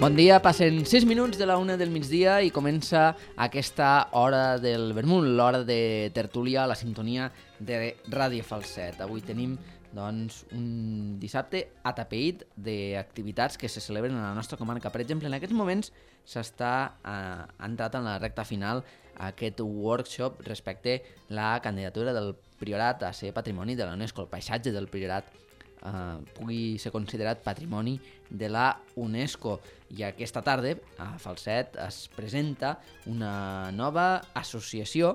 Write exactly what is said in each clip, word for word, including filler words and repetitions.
Bon dia, passen sis minuts de la una del migdia i comença aquesta hora del vermut, l'hora de tertúlia a la sintonia de Ràdio Falset. Avui tenim doncs, un dissabte atapeït d'activitats que se celebren a la nostra comarca. Per exemple, en aquests moments s'està eh, entrat en la recta final aquest workshop respecte a la candidatura del Priorat a ser patrimoni de la UNESCO, el paisatge del Priorat Uh, pugui ser considerat patrimoni de la UNESCO. I aquesta tarda a Falset es presenta una nova associació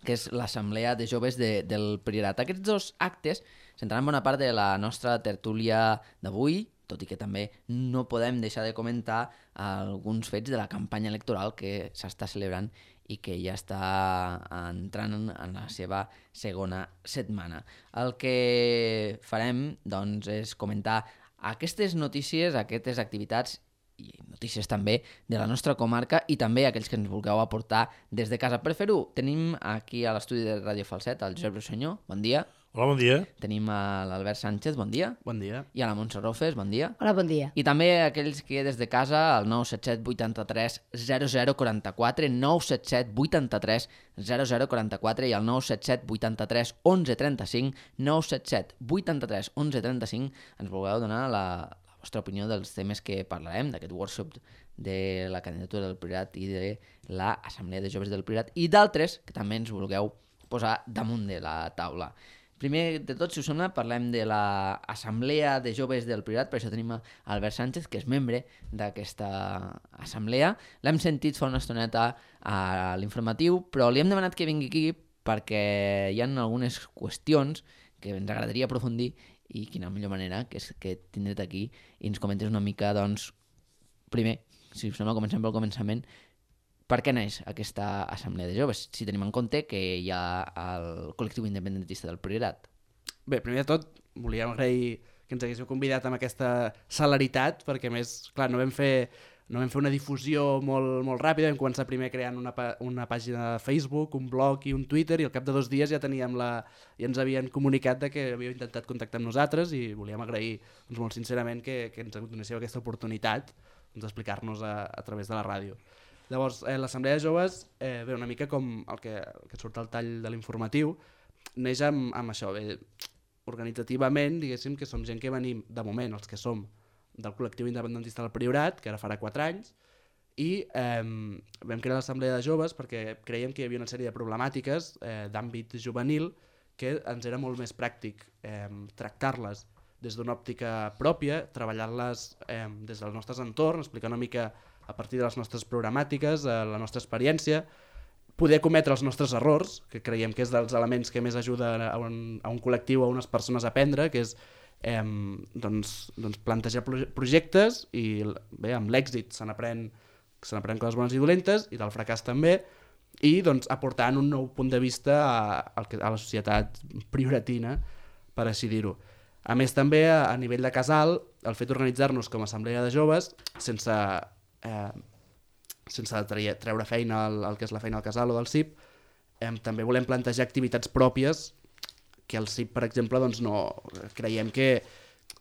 que és l'Assemblea de Joves de, del Priorat. Aquests dos actes centraran bona part de la nostra tertúlia d'avui, tot i que també no podem deixar de comentar alguns fets de la campanya electoral que s'està celebrant i que ja està entrant en la seva segona setmana. El que farem doncs, és comentar aquestes notícies, aquestes activitats i notícies també de la nostra comarca i també aquells que ens vulgueu aportar des de casa. Per fer-ho, tenim aquí a l'estudi de Ràdio Falset el Josep Rosselló, bon dia. Hola, bon dia. Tenim a l'Albert Sánchez, bon dia. Bon dia. I a la Montse Rofes, bon dia. Hola, bon dia. I també aquells que des de casa, al nou set set vuit tres zero zero quatre quatre, nou set set vuit tres zero zero quatre quatre i al nou set set vuit tres onze trenta cinc, nou set set vuit tres onze trenta cinc, ens vulgueu donar la, la vostra opinió dels temes que parlarem, d'aquest workshop de la candidatura del Priorat i de l'Assemblea de Joves del Priorat i d'altres que també ens vulgueu posar damunt de la taula. Primer de tot, si us sembla, parlem de l'Assemblea de Joves del Priorat, per això tenim a Albert Sánchez, que és membre d'aquesta assemblea. L'hem sentit fa una estoneta a l'informatiu, però li hem demanat que vingui aquí perquè hi ha algunes qüestions que ens agradaria aprofundir i quina millor manera que és que tindre't aquí i ens comentes una mica, doncs, primer, si us sembla, comencem pel començament. Per què neix aquesta assemblea de joves, si tenim en compte que hi ha el col·lectiu independentista del Priorat? Bé, primer de tot, volíem agrair que ens haguéssiu convidat amb aquesta celeritat, perquè més, clar, no vam fer, no vam fer una difusió molt, molt ràpida, vam començar primer creant una, una pàgina de Facebook, un blog i un Twitter, i al cap de dos dies ja teníem la, ja ens havien comunicat de que havíeu intentat contactar amb nosaltres i volíem agrair doncs, molt sincerament que, que ens donéssiu aquesta oportunitat d'explicar-nos a, a través de la ràdio. Llavors, eh, l'Assemblea de Joves, eh, bé, una mica com el que, el que surt al tall de l'informatiu, neix amb, amb això, bé, organitzativament, diguéssim que som gent que venim, de moment, els que som del col·lectiu independentista del Priorat, que ara farà quatre anys, i eh, vam crear l'Assemblea de Joves perquè creiem que hi havia una sèrie de problemàtiques eh, d'àmbit juvenil que ens era molt més pràctic eh, tractar-les des d'una òptica pròpia, treballar-les eh, des dels nostres entorns, explicar una mica a partir de les nostres programàtiques, a la nostra experiència, poder cometre els nostres errors, que creiem que és dels elements que més ajuda a un, a un col·lectiu, a unes persones a aprendre, que és eh, doncs, doncs plantejar projectes i bé, amb l'èxit se n'aprèn se n'aprèn coses bones i dolentes i del fracàs també, i doncs, aportant un nou punt de vista a, a la societat prioratina, per així dir-ho. A més, també, a, a nivell de casal, el fet d'organitzar-nos com a assemblea de joves, sense... Eh, sense treure feina al, al que és la feina al casal o del C I P, eh, també volem plantejar activitats pròpies que el C I P, per exemple, doncs no, creiem que,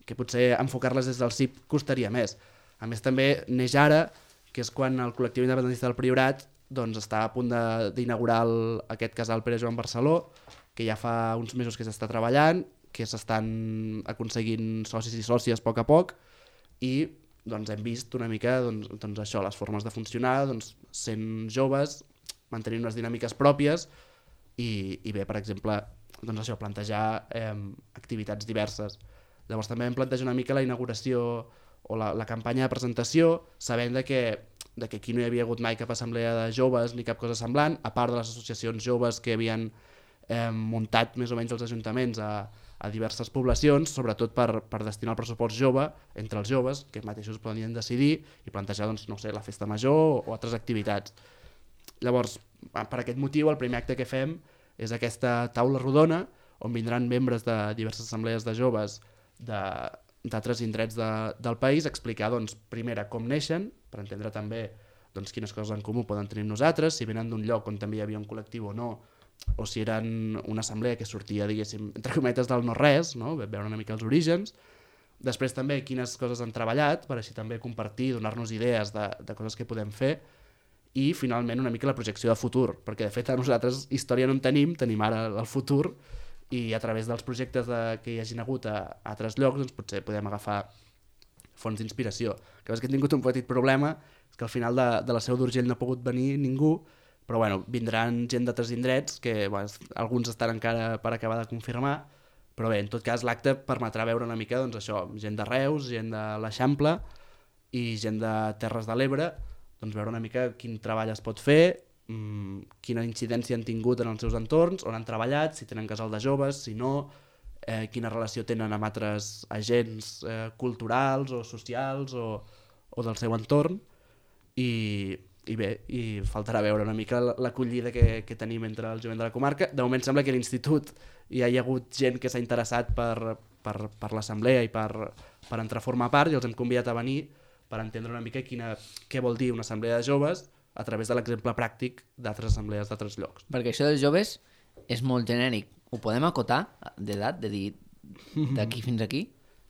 que potser enfocar-les des del C I P costaria més. A més, també neix ara, que és quan el col·lectiu independentista del Priorat doncs, està a punt d'inaugurar aquest casal Pere Joan Barceló, que ja fa uns mesos que s'està treballant, que s'estan aconseguint socis i sòcies a poc a poc, i doncs hem vist una mica doncs, doncs això, les formes de funcionar, doncs, sent joves, mantenint unes dinàmiques pròpies i, i bé, per exemple, doncs això, plantejar eh, activitats diverses. Llavors també vam plantejar una mica la inauguració o la, la campanya de presentació, sabent de que, de que aquí no hi havia hagut mai cap assemblea de joves ni cap cosa semblant, a part de les associacions joves que havien eh, muntat més o menys els ajuntaments a a diverses poblacions, sobretot per, per destinar el pressupost jove entre els joves, que mateixos podien decidir i plantejar doncs, no sé, la festa major o, o altres activitats. Llavors, per aquest motiu, el primer acte que fem és aquesta taula rodona, on vindran membres de diverses assemblees de joves d'altres indrets de, del país a explicar, doncs, primera, com neixen, per entendre també doncs, quines coses en comú poden tenir nosaltres, si venen d'un lloc on també hi havia un col·lectiu o no, o si eren una assemblea que sortia, diguéssim, entre cometes del no-res, no? Veure una mica els orígens, Després també quines coses han treballat, per així també compartir, donar-nos idees de, de coses que podem fer, i finalment una mica la projecció de futur, perquè de fet a nosaltres història no en tenim, tenim ara el futur, i a través dels projectes de, que hi hagin hagut a, a altres llocs doncs potser podem agafar fonts d'inspiració. Que és que he tingut un petit problema, és que al final de, de la Seu d'Urgell no ha pogut venir ningú, però bueno, vindran gent d'altres indrets, que bueno, alguns estan encara per acabar de confirmar, però bé, en tot cas l'acte permetrà veure una mica doncs, això, gent de Reus, gent de l'Eixample i gent de Terres de l'Ebre, doncs veure una mica quin treball es pot fer, mmm, quina incidència han tingut en els seus entorns, on han treballat, si tenen casal de joves, si no, eh, quina relació tenen amb altres agents eh, culturals o socials o, o del seu entorn, i, i bé, i faltarà veure una mica l'acollida que, que tenim entre el jovent de la comarca. De moment sembla que a l'institut hi ha hagut gent que s'ha interessat per, per, per l'assemblea i per, per entrar a formar part, i els hem convidat a venir per entendre una mica quina, què vol dir una assemblea de joves a través de l'exemple pràctic d'altres assemblees d'altres llocs. Perquè això dels joves és molt genèric. Ho podem acotar d'edat, de dir d'aquí fins aquí?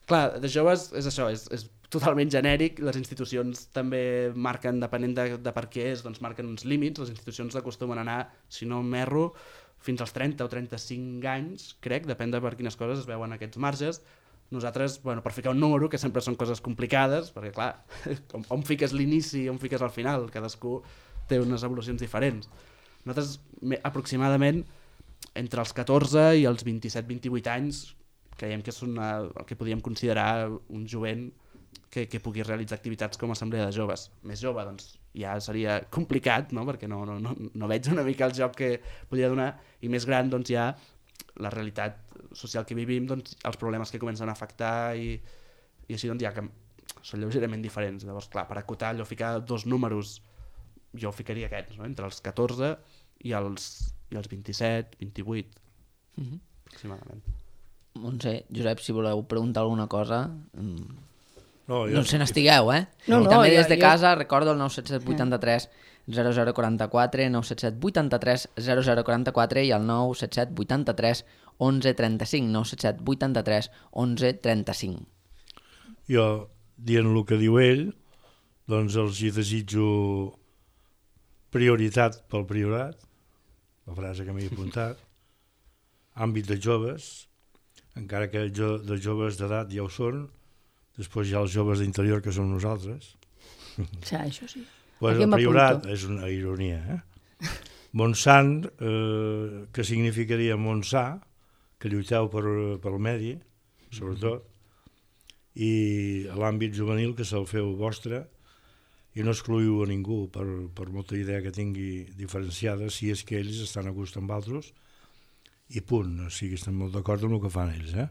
Clar, de joves és això, és, és totalment genèric. Les institucions també marquen, depenent de, de per què és, doncs marquen uns límits. Les institucions acostumen a anar, si no m'erro, fins als trenta o trenta-cinc anys, crec, depèn de per quines coses es veuen aquests marges. Nosaltres, bueno, per ficar un número, que sempre són coses complicades, perquè clar, on, on fiques l'inici i on fiques el final, cadascú té unes evolucions diferents. Nosaltres, aproximadament, entre els catorze i els vint-i-set vint-i-vuit anys, creiem que és una, el que podríem considerar un jovent que, que pugui realitzar activitats com a assemblea de joves. Més jove, doncs, ja seria complicat, no? Perquè no, no, no, no veig una mica el joc que podria donar, i més gran, doncs, ja la realitat social que vivim, doncs, els problemes que comencen a afectar, i, i així doncs, ja que són lleugerament diferents. Llavors, clar, per acotar allò, ficar dos números, jo ficaria aquests, no? Entre els catorze i els, i els vint-i-set, vint-i-vuit, mm-hmm. aproximadament. Montse, Josep, si voleu preguntar alguna cosa... No, jo... no se n'estigueu, eh? No, I no, també jo, des de jo... casa, recordo el nou set set vuit tres zero zero quatre quatre, nou set set vuit tres zero zero quatre quatre i el nou set set vuit tres onze trenta-cinc, nou set set vuit tres onze trenta-cinc. Jo, dient el que diu ell, doncs els hi desitjo prioritat pel priorat, la frase que m'he apuntat, àmbit de joves, encara que jo, de joves d'edat ja ho són, després hi ha els joves d'interior que som nosaltres. Sí, això sí. Pues el priorat és una ironia, eh? Montsant, eh, que significaria Montsà, que lluiteu per, per el medi, sobretot, i l'àmbit juvenil que se'l feu vostre, i no excluïu a ningú per, per molta idea que tingui diferenciada, si és que ells estan a gust amb altres, i punt, o sigui, estem molt d'acord amb el que fan ells, eh?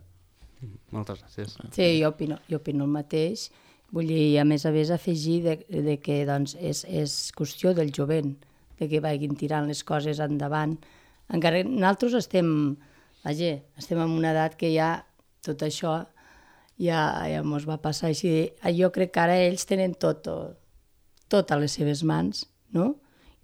Moltes gràcies. Sí, jo opino, jo opino el mateix. Vull dir, a més a més, afegir de, de que doncs, és, és qüestió del jovent, de que vagin tirant les coses endavant. Encara que nosaltres estem, vaja, estem en una edat que ja tot això ja, ja mos va passar així. Jo crec que ara ells tenen tot, tot a les seves mans, no?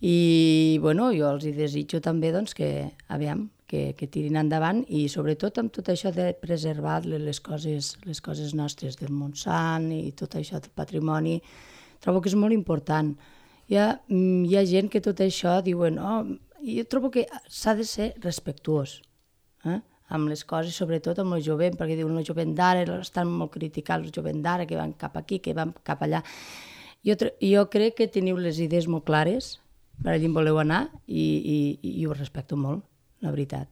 I, bueno, jo els hi desitjo també, doncs, que, aviam, que, que tirin endavant, i sobretot amb tot això de preservar les coses, les coses nostres del Montsant i tot això del patrimoni, trobo que és molt important. Hi ha, hi ha gent que tot això diuen, oh, jo trobo que s'ha de ser respectuós, eh? Amb les coses, sobretot amb el jovent, perquè diuen el jovent d'ara, estan molt criticats el jovent d'ara, que van cap aquí, que van cap allà. Jo, jo crec que teniu les idees molt clares, per allà voleu anar, i, i, i ho respecto molt, la veritat.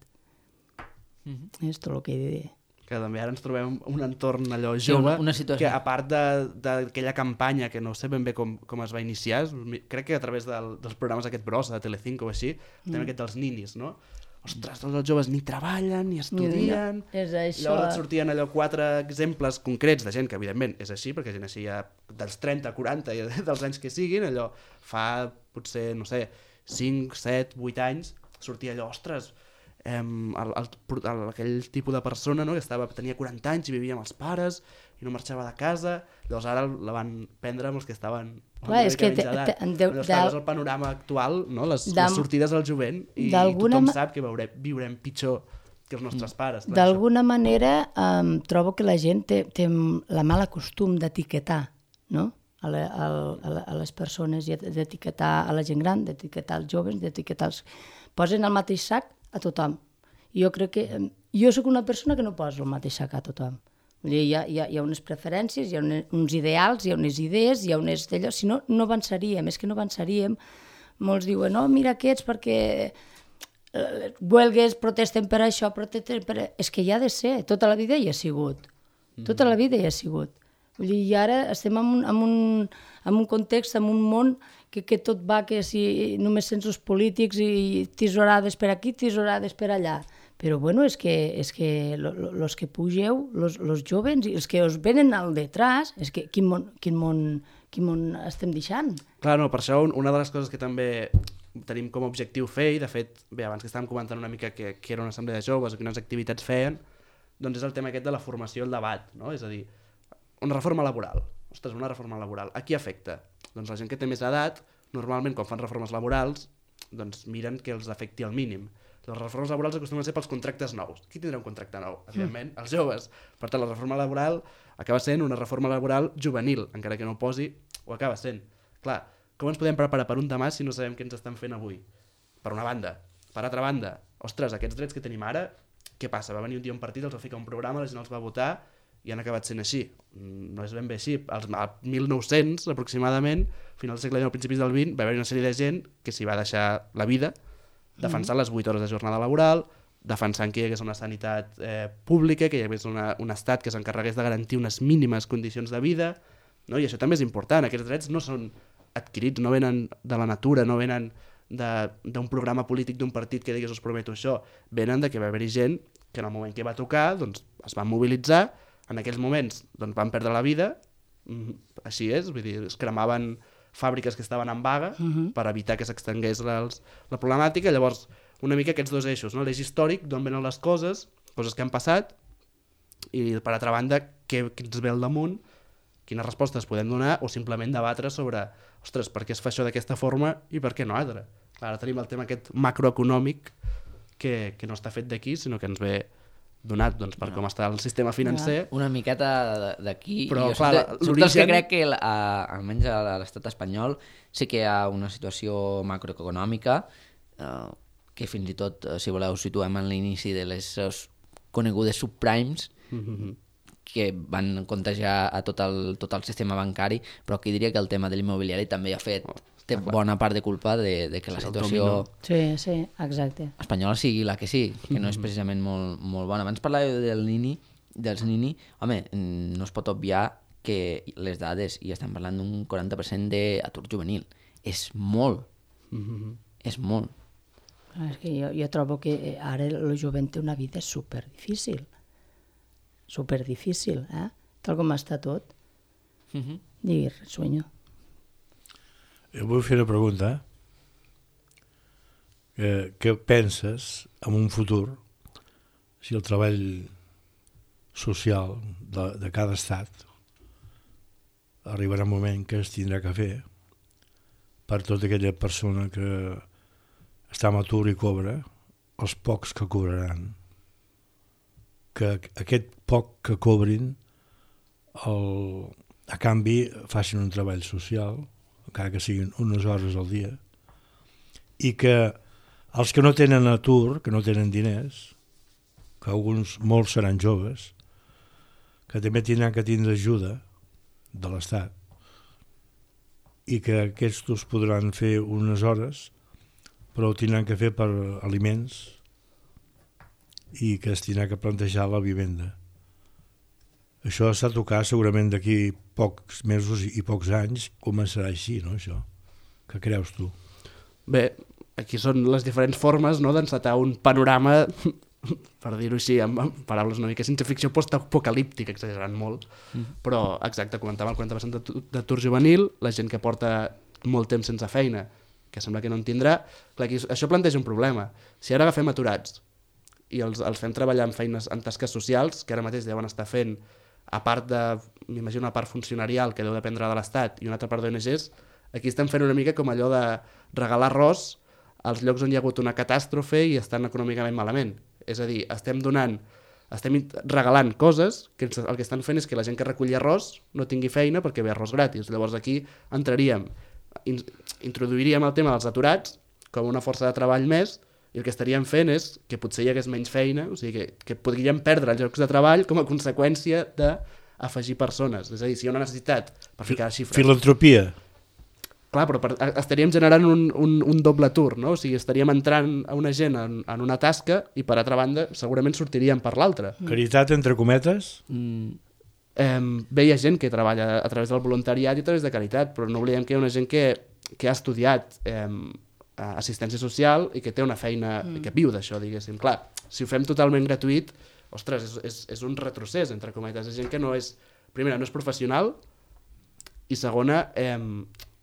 Mm-hmm. És tot el que he de dir. Que també ara ens trobem un entorn allò jove, sí, una, una situació. Que a part d'aquella campanya, que no sé ben bé com, com es va iniciar, crec que a través del, dels programes aquest Brossa, de Telecinco o així, mm. també aquest dels ninis, no? Ostres, tots els joves ni treballen, ni estudien... No, és això. Llavors et sortien allò quatre exemples concrets de gent que, evidentment, és així, perquè gent així ja dels trenta, quaranta, dels anys que siguin, allò fa potser, no sé, cinc, set, vuit anys, sortia allò, ostres, eh, el, el, el, aquell tipus de persona, no?, que estava, tenia quaranta anys i vivia amb els pares i no marxava de casa, llavors ara la van prendre amb els que estaven... Clar, és que te, te, de, llavors, clar, és el panorama actual, no?, les, les sortides al jovent, i tothom ma... sap que veurem, viurem pitjor que els nostres pares. Clar, d'alguna manera um, trobo que la gent té, té la mala costum d'etiquetar, no? A, la, a, la, a les persones, i d'etiquetar a la gent gran, d'etiquetar als joves, d'etiquetar els... Posen el mateix sac a tothom. Jo crec que... Jo sóc una persona que no poso el mateix sac a tothom. Vull dir, hi ha, hi ha, hi ha unes preferències, hi ha uns ideals, hi ha unes idees, hi ha unes d'allò... Si no, no avançaríem, és que no avançaríem. Molts diuen, no, mira aquests perquè eh, huelgues, protesten per això, protesten per... És que hi ha de ser, tota la vida hi ha sigut. Tota la vida hi ha sigut. Vull dir, i ara estem en un, en un, en un context, en un món que, que tot va, que si només sents els polítics i tisorades per aquí, tisorades per allà. Però bueno, és que, és que lo, lo, los que pugeu, los, los jóvens, i els que us venen al detrás, és que quin món, quin món, quin món estem deixant? Clar, no, per això una de les coses que també tenim com a objectiu fer, i de fet, bé, abans que estàvem comentant una mica que, que era una assemblea de joves o quines activitats feien, doncs és el tema aquest de la formació i el debat, no? És a dir, una reforma laboral. Ostres, una reforma laboral. A qui afecta? Doncs la gent que té més edat, normalment quan fan reformes laborals, doncs miren que els afecti al mínim. Les reformes laborals acostumen a ser pels contractes nous. Qui tindrà un contracte nou? Evidentment, els joves. Per tant, la reforma laboral acaba sent una reforma laboral juvenil, encara que no ho posi, ho acaba sent. Clar, com ens podem preparar per un demà si no sabem què ens estan fent avui? Per una banda. Per altra banda, ostres, aquests drets que tenim ara, què passa? Va venir un dia un partit, els va ficar un programa, la gent els va votar i han acabat sent així. No és ben bé així. Al mil nou-cents, aproximadament, final del segle dinou, principis del vint, va haver una sèrie de gent que s'hi va deixar la vida defensant mm. les vuit hores de jornada laboral, defensant que hi hagués una sanitat eh, pública, que hi hagués una, un estat que s'encarregués de garantir unes mínimes condicions de vida, no? I això també és important. Aquests drets no són adquirits, no venen de la natura, no venen d'un programa polític d'un partit que digués us prometo això, venen de que va haver-hi gent que en el moment que va tocar doncs, es van mobilitzar. En aquells moments doncs, van perdre la vida, així és, vull dir, es cremaven fàbriques que estaven en vaga uh-huh. per evitar que s'extengués la, la problemàtica. Llavors, una mica aquests dos eixos, no? L'eix històric, d'on venen les coses, coses que han passat, i per altra banda, què, què ens ve al damunt, quines respostes podem donar, o simplement debatre sobre, ostres, per què es fa això d'aquesta forma i per què no altra. Ara tenim el tema aquest macroeconòmic que, que no està fet d'aquí, sinó que ens ve donat doncs, per no. com està el sistema financer. Una miqueta d'aquí. Però, jo clar, soc dels que crec que, a, almenys a l'estat espanyol, sí que hi ha una situació macroeconòmica eh, que fins i tot, si voleu, situem en l'inici de les conegudes subprimes, mm-hmm. que van contagiar a tot el, tot el sistema bancari, però aquí diria que el tema de l'immobiliari també ha fet té bona part de culpa de, de que la situació sí, sí, exacte. espanyola sigui la que sí, que no és precisament molt, molt bona. Abans parlàveu del Nini, dels Nini, home, no es pot obviar que les dades, i estem parlant d'un quaranta per cent d'atur juvenil, és molt, mm-hmm. és molt. És que jo, jo trobo que ara el jovent té una vida super difícil, super difícil, eh? Tal com està tot. Mm-hmm. Digui, sueño. Jo vull fer una pregunta. Eh, què penses en un futur si el treball social de, de cada estat arribarà un moment que es tindrà que fer per tota aquella persona que està en atur i cobra, els pocs que cobraran, que aquest poc que cobrin el, a canvi facin un treball social, encara que siguin unes hores al dia, i que els que no tenen atur, que no tenen diners, que alguns, molts seran joves, que també tindran que tindre ajuda de l'Estat, i que aquests podran fer unes hores, però ho tindran que fer per aliments i que es tindrà que plantejar la vivenda. Això s'ha de tocar segurament d'aquí pocs mesos i pocs anys, començarà així, no, això? Què creus tu? Bé, aquí són les diferents formes, no?, d'encetar un panorama, per dir-ho així, amb paraules una mica ciència ficció post-apocalíptica, exagerant molt, mm. però exacte, comentava el quaranta per cent d'atur juvenil, la gent que porta molt temps sense feina, que sembla que no en tindrà. Clar, aquí, això planteja un problema. Si ara agafem aturats i els, els fem treballar en feines, en tasques socials, que ara mateix deuen estar fent, a part de, m'imagino, una part funcionarial que deu dependre de l'Estat i una altra part d'O N Ges, aquí estem fent una mica com allò de regalar arròs als llocs on hi ha hagut una catàstrofe i estan econòmicament malament. És a dir, estem donant, estem regalant coses que el que estan fent és que la gent que reculli arròs no tingui feina perquè ve arròs gratis. Llavors aquí entraríem, in, introduiríem el tema dels aturats com una força de treball més, i el que estaríem fent és que potser hi hagués menys feina, o sigui que, que podríem perdre els llocs de treball com a conseqüència d'afegir persones. És a dir, si hi ha una necessitat per ficar xifres... Filantropia. Clar, però per, estaríem generant un, un, un doble tour, no? O sigui, estaríem entrant a una gent en, en una tasca i, per altra banda, segurament sortiríem per l'altra. Caritat, entre cometes? Mm. Eh, bé, hi ha gent que treballa a través del voluntariat i a través de caritat, però no oblidem que hi ha una gent que, que ha estudiat eh, assistència social i que té una feina, mm. que viu d'això, diguéssim. Clar, si ho fem totalment gratuït, ostres, és, és, és un retrocés, entre cometes. És gent que no és, primera, no és professional, i segona, eh,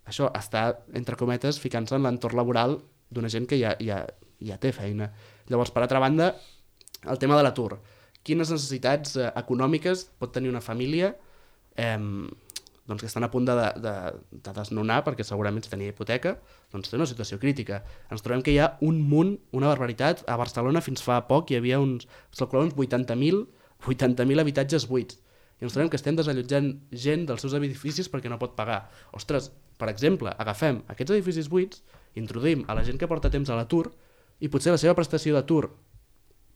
això, està, entre cometes, ficant-se en l'entorn laboral d'una gent que ja, ja, ja té feina. Llavors, per altra banda, el tema de l'atur. Quines necessitats eh, econòmiques pot tenir una família eh, doncs que estan a punt de, de, de desnonar, perquè segurament si tenia hipoteca, doncs té una situació crítica. Ens trobem que hi ha un munt, una barbaritat. A Barcelona fins fa poc hi havia uns, uns vuitanta mil habitatges buits. I ens trobem que estem desallotjant gent dels seus edificis perquè no pot pagar. Ostres, per exemple, agafem aquests edificis buits, introduïm a la gent que porta temps a l'atur i potser la seva prestació d'atur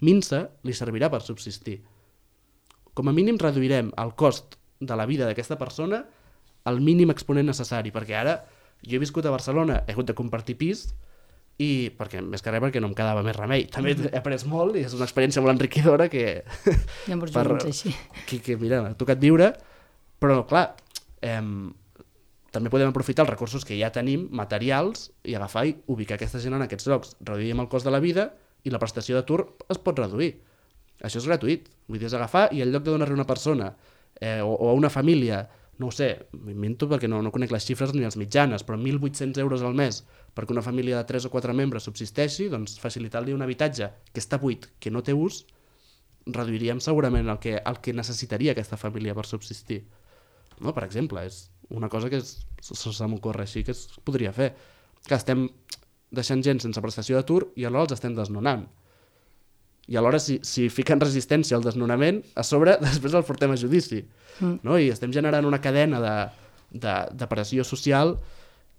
minsa li servirà per subsistir. Com a mínim reduirem el cost de la vida d'aquesta persona al mínim exponent necessari, perquè ara jo he viscut a Barcelona, he hagut de compartir pis, i perquè més que res perquè no em quedava més remei. També he après molt i és una experiència molt enriquidora que, ja per, així. que, que mira, m'ha tocat viure, però clar, eh, també podem aprofitar els recursos que ja tenim, materials, i agafar i ubicar aquesta gent en aquests llocs. Reduïm el cost de la vida i la prestació d'atur es pot reduir. Això és gratuït. Vull dir, és agafar i en lloc de donar-li a una persona eh, o, o a una família, no ho sé, m'invento perquè no, no conec les xifres ni les mitjanes, però mil vuit-cents euros al mes perquè una família de tres o quatre membres subsisteixi, doncs facilitar-li un habitatge que està buit, que no té ús, reduiríem segurament el que, el que necessitaria aquesta família per subsistir. No? Per exemple, és una cosa que es, se m'ocorre així que es podria fer. Que estem deixant gent sense prestació d'atur i alhora els estem desnonant. I alhora, si, si fiquen resistència al desnonament, a sobre després el portem a judici. Mm. No? I estem generant una cadena de, de, de pressió social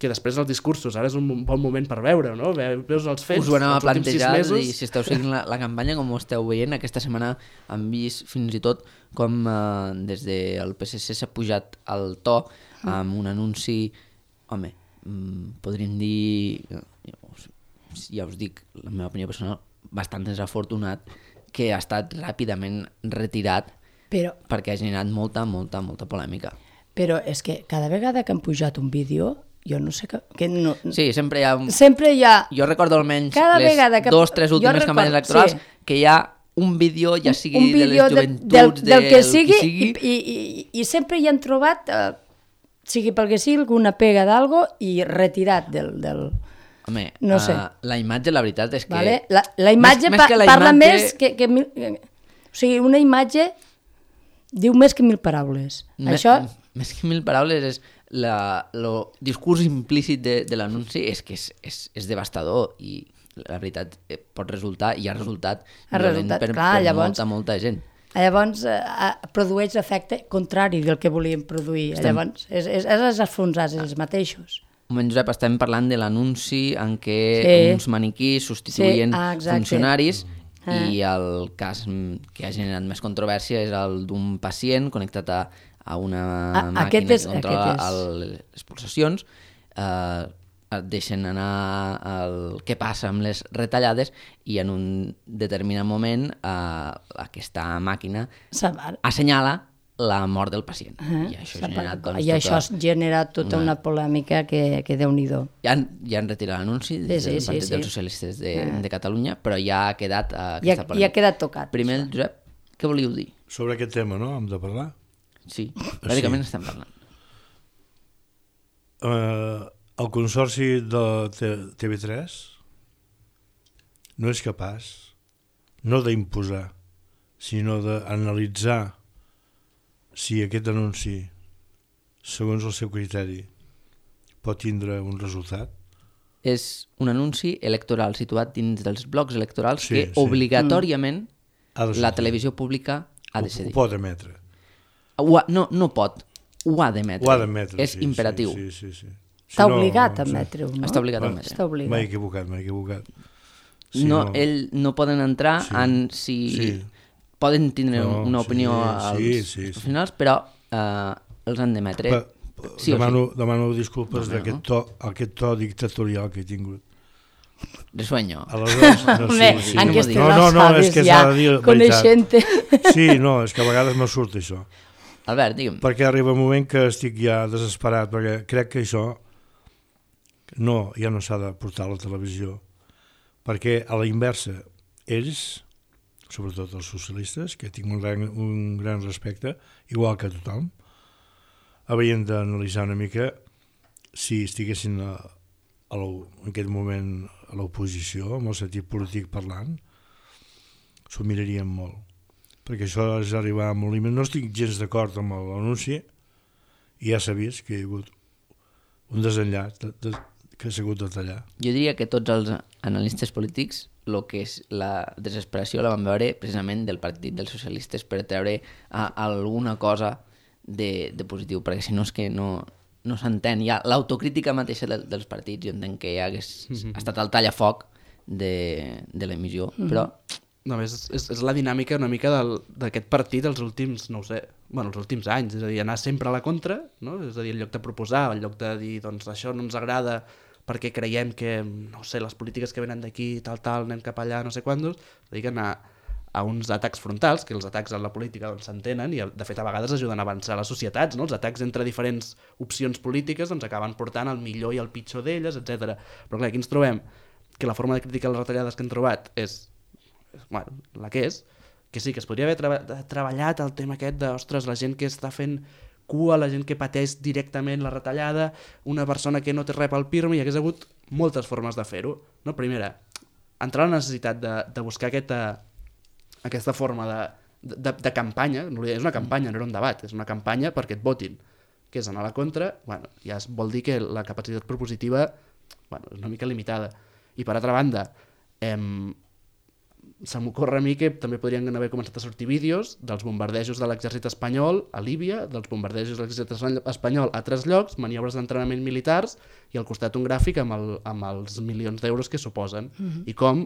que després els discursos, ara és un bon moment per veure, no? Veus els fets, us ho anava els últims sis mesos... I si esteu seguint la, la campanya, com ho esteu veient, aquesta setmana han vist fins i tot com eh, des del P S C s'ha pujat el to amb un anunci, home, podríem dir, ja us dic, la meva opinió personal, bastant desafortunat, que ha estat ràpidament retirat però, perquè ha generat molta, molta, molta polèmica. Però és que cada vegada que han pujat un vídeo, jo no sé que... que no, sí, sempre hi ha... Sempre hi ha... Jo recordo almenys les que, dos, tres últimes recordo, campanyes electorals, sí, que hi ha un vídeo, ja sigui un de les joventuts, de, del, del que sigui, qui sigui... I, i, i, i sempre hi han trobat, eh, sigui pel que sigui, alguna pega d'algo i retirat del... del... Home, no sé. uh, la imatge, la veritat és que... Vale? La, la imatge més, pa més la parla imatge... més que, que mil... O sigui, una imatge diu més que mil paraules. Me, Això... Més que mil paraules és... El discurs implícit de, de l'anunci és que és, és, és devastador i la veritat pot resultar i ha resultat, ha resultat per, clar, per llavors, molta, molta gent. Llavors eh, produeix l'efecte contrari del que volíem produir. Estem... Llavors és, és, és els enfonsats, els mateixos. Un moment, Josep, estem parlant de l'anunci en què sí, uns maniquís substituïen sí, ah, funcionaris ah. i el cas que ha generat més controvèrsia és el d'un pacient connectat a, a una a, màquina és, que controla el, les pulsacions, eh, et deixen anar el que passa amb les retallades i en un determinat moment eh, aquesta màquina assenyala la mort del pacient. Uh-huh. I això, generat, doncs, I això tota... ha generat tota una, una polèmica que, que Déu-n'hi-do. Ja han, ja han retirat l'anunci sí, des del sí, Partit sí, dels sí. Socialistes de, uh-huh. de Catalunya, però ja ha quedat uh, aquesta polèmica. Ja ha quedat tocat. Primer, Josep, què volíeu dir? Sobre aquest tema, no? Hem de parlar? Sí, bàsicament sí. Estem parlant. Uh, el consorci de T V tres no és capaç no d'imposar, sinó d'analitzar si aquest anunci, segons el seu criteri, pot tindre un resultat, és un anunci electoral situat dins dels blocs electorals Sí, que sí. obligatòriament Ha de la sortir. televisió pública ha Ho, de ho cedir. pot emetre. Ho ha, no, no pot, ho ha d'emetre. Ho ha d'emetre, És sí, imperatiu. Sí, sí, sí, sí. Està Si no, obligat a sí. emetre-ho, no? Està obligat a Va, emetre. Està obligat. M'he equivocat, m'he equivocat. Si no, ell no poden entrar Sí. en si... Sí. Poden tindre No, una sí, opinió als sí, sí, sí. professionals, però eh, els han d'emetre. Pa, pa, Sí o demano, demano disculpes No, no, d'aquest to, aquest to dictatorial que he tingut. De sueño. Aleshores, no, Home, sí, sí. en no aquestes m'ho no, no, no, alçades és que ja, s'ha de dir la coneixent-te. Sí, no, és que a vegades me surt això. Albert, digue'm. Perquè arriba un moment que estic ja desesperat, perquè crec que això no, ja no s'ha de portar a la televisió, perquè a la inversa, ells, sobretot els socialistes, que tinc un gran, un gran respecte, igual que tothom, haurien d'analitzar una mica si estiguessin a, a en aquest moment a l'oposició, amb el sentit polític parlant, s'ho mirarien molt. Perquè això és arribar a un límit. No estic gens d'acord amb l'anunci, i ja s'ha vist que hi ha hagut un desenllaç de, de, que s'ha hagut de tallar. Jo diria que tots els analistes polítics el que és la desesperació la van veure precisament del partit dels socialistes per treure a, alguna cosa de, de positiu, perquè si no és que no, no s'entén. Ja l'autocrítica mateixa de, dels partits, jo entenc que ja hagués mm-hmm. estat el tallafoc de, de l'emissió, mm-hmm. però... No, és, és, és la dinàmica una mica d'aquest partit els últims, no ho sé, bueno, els últims anys, és a dir, anar sempre a la contra, no? És a dir, en lloc de proposar, en lloc de dir, doncs, això no ens agrada perquè creiem que, no sé, les polítiques que venen d'aquí, tal, tal, anem cap allà, no sé quantos, és a dir, que anar a uns atacs frontals, que els atacs en la política doncs, s'entenen i, de fet, a vegades ajuden a avançar les societats, no? Els atacs entre diferents opcions polítiques doncs, acaben portant el millor i el pitjor d'elles, etcètera. Però, clar, aquí ens trobem que la forma de criticar les retallades que hem trobat és bueno, la que és, que sí, que es podria haver treba treballat el tema aquest de, ostres, la gent que està fent cua, la gent que pateix directament la retallada, una persona que no té res pel pirmi, hi hagués hagut moltes formes de fer-ho. No? Primera, entrar a la necessitat de, de buscar aquesta, aquesta forma de, de, de campanya, no és una campanya, no era un debat, és una campanya perquè et votin, que és anar a la contra, bueno, ja es vol dir que la capacitat propositiva bueno, és una mica limitada. I per altra banda, em, se m'ocorre a mi que també podrien haver començat a sortir vídeos dels bombardejos de l'exèrcit espanyol a Líbia, dels bombardejos de l'exèrcit espanyol a altres llocs, maniobres d'entrenament militars i al costat un gràfic amb, el, amb els milions d'euros que suposen. Mm-hmm. I com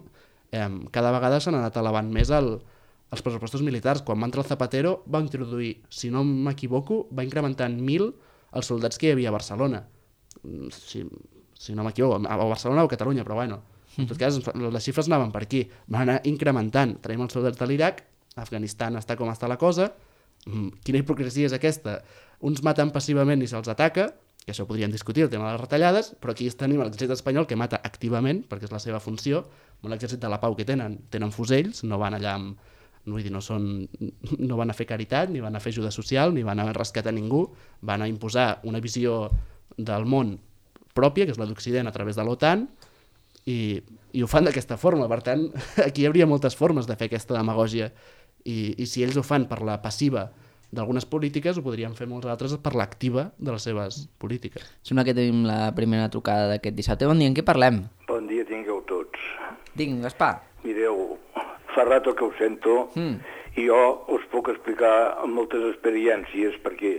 eh, cada vegada s'han anat elevant més el, els pressupostos militars. Quan va entrar el Zapatero va introduir, si no m'equivoco, va incrementar en mil els soldats que hi havia a Barcelona. Si, si no m'equivoco, a Barcelona o a Catalunya, però bueno... En tot cas, les xifres anaven per aquí. Van anar incrementant. Traiem els soldats de l'Iraq, Afganistan està com està la cosa. Quina hipocresia és aquesta? Uns maten passivament i se'ls ataca, que això podríem discutir, el tema de les retallades, però aquí tenim l'exèrcit espanyol que mata activament, perquè és la seva funció, amb l'exèrcit de la pau que tenen. Tenen fusells, no van allà amb... No, vull dir, no, són, no van a fer caritat, ni van a fer ajuda social, ni van a rescatar ningú, van a imposar una visió del món pròpia, que és la d'Occident a través de l'OTAN, I, i ho fan d'aquesta forma. Per tant, aquí hi hauria moltes formes de fer aquesta demagògia i, i si ells ho fan per la passiva d'algunes polítiques, ho podrien fer molts altres per l'activa de les seves polítiques. Sembla que tenim la primera trucada d'aquest dissabte. Bon dia, en què parlem? Bon dia tingueu tots. Digue'm, Gaspar. Mireu, fa rato que ho sento mm. i jo us puc explicar amb moltes experiències perquè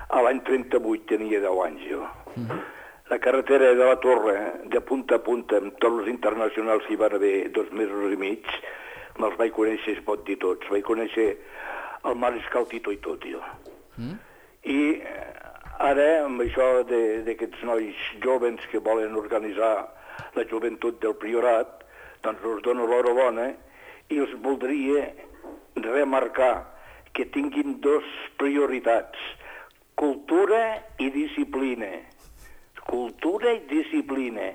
a l'any trenta-vuit tenia deu anys jo. Mm-hmm. La carretera de la Torre, de punta a punta, amb tots els internacionals que hi van haver dos mesos i mig, me'ls vaig conèixer, es pot dir tots. Vaig conèixer el mariscal Tito i tot, jo. Mm. I ara, amb això d'aquests nois jovens que volen organitzar la joventut del Priorat, doncs us dono l'horabona i els voldria remarcar que tinguin dos prioritats, cultura i disciplina. Cultura i disciplina.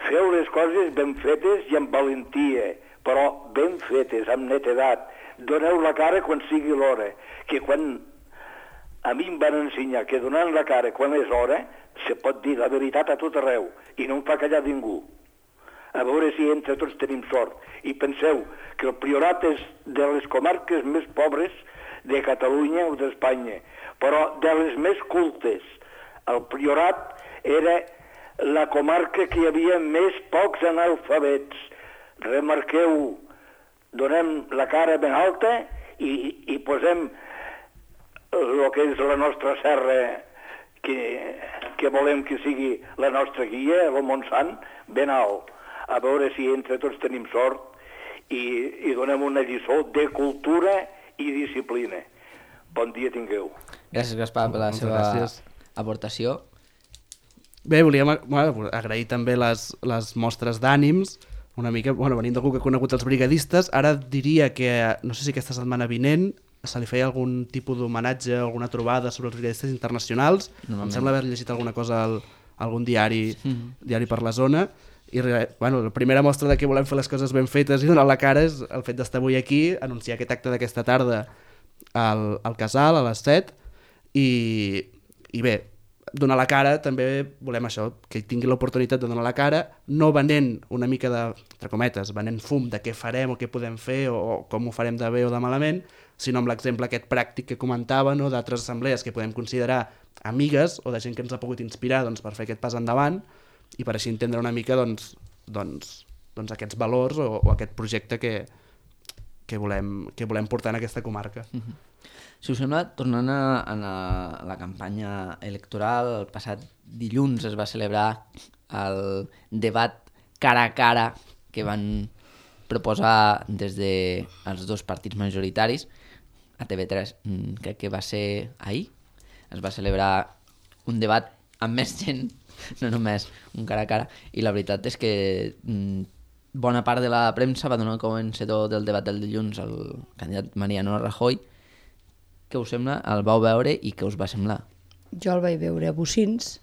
Feu les coses ben fetes i amb valentia, però ben fetes, amb netedat. Doneu la cara quan sigui l'hora, que quan a mi em van ensenyar que donant la cara quan és hora, se pot dir la veritat a tot arreu, i no em fa callar ningú. A veure si entre tots tenim sort. I penseu que el Priorat és de les comarques més pobres de Catalunya o d'Espanya, però de les més cultes. El Priorat era la comarca que hi havia més pocs analfabets. Remarqueu, donem la cara ben alta i, i posem el que és la nostra serra, que, que volem que sigui la nostra guia, el Montsant, ben alt. A veure si entre tots tenim sort i, i donem una lliçó de cultura i disciplina. Bon dia tingueu. Gràcies, Gaspar, per la Moltes seva gràcies. aportació. Bé, volíem bueno, agrair també les, les mostres d'ànims, una mica, bueno, venint d'algú que ha conegut els brigadistes. Ara diria que, no sé si aquesta setmana vinent, se li feia algun tipus d'homenatge, alguna trobada sobre els brigadistes internacionals. Em sembla haver llegit alguna cosa al algun diari, mm. diari per la zona. I bueno, la primera mostra de que volem fer les coses ben fetes i donar la cara és el fet d'estar avui aquí, anunciar aquest acte d'aquesta tarda al, al Casal, a les set, i, i bé, donar la cara també volem això, que tingui l'oportunitat de donar la cara, no venent una mica de, entre cometes, venent fum de què farem o què podem fer o, o com ho farem de bé o de malament, sinó amb l'exemple aquest pràctic que comentava, no, d'altres assemblees que podem considerar amigues o de gent que ens ha pogut inspirar doncs, per fer aquest pas endavant i per així entendre una mica doncs, doncs, doncs aquests valors o, o aquest projecte que, que, volem, que volem portar en aquesta comarca. Mm-hmm. Si us sembla, tornant a, a, la, a la campanya electoral, el passat dilluns es va celebrar el debat cara a cara que van proposar des dels dos partits majoritaris. A T V tres crec que va ser ahir. Es va celebrar un debat amb més gent, no només un cara a cara, i la veritat és que mm, bona part de la premsa va donar com vencedor del debat del dilluns al candidat Mariano Rajoy. Què us sembla? El vau veure i què us va semblar? Jo el vaig veure a Bocins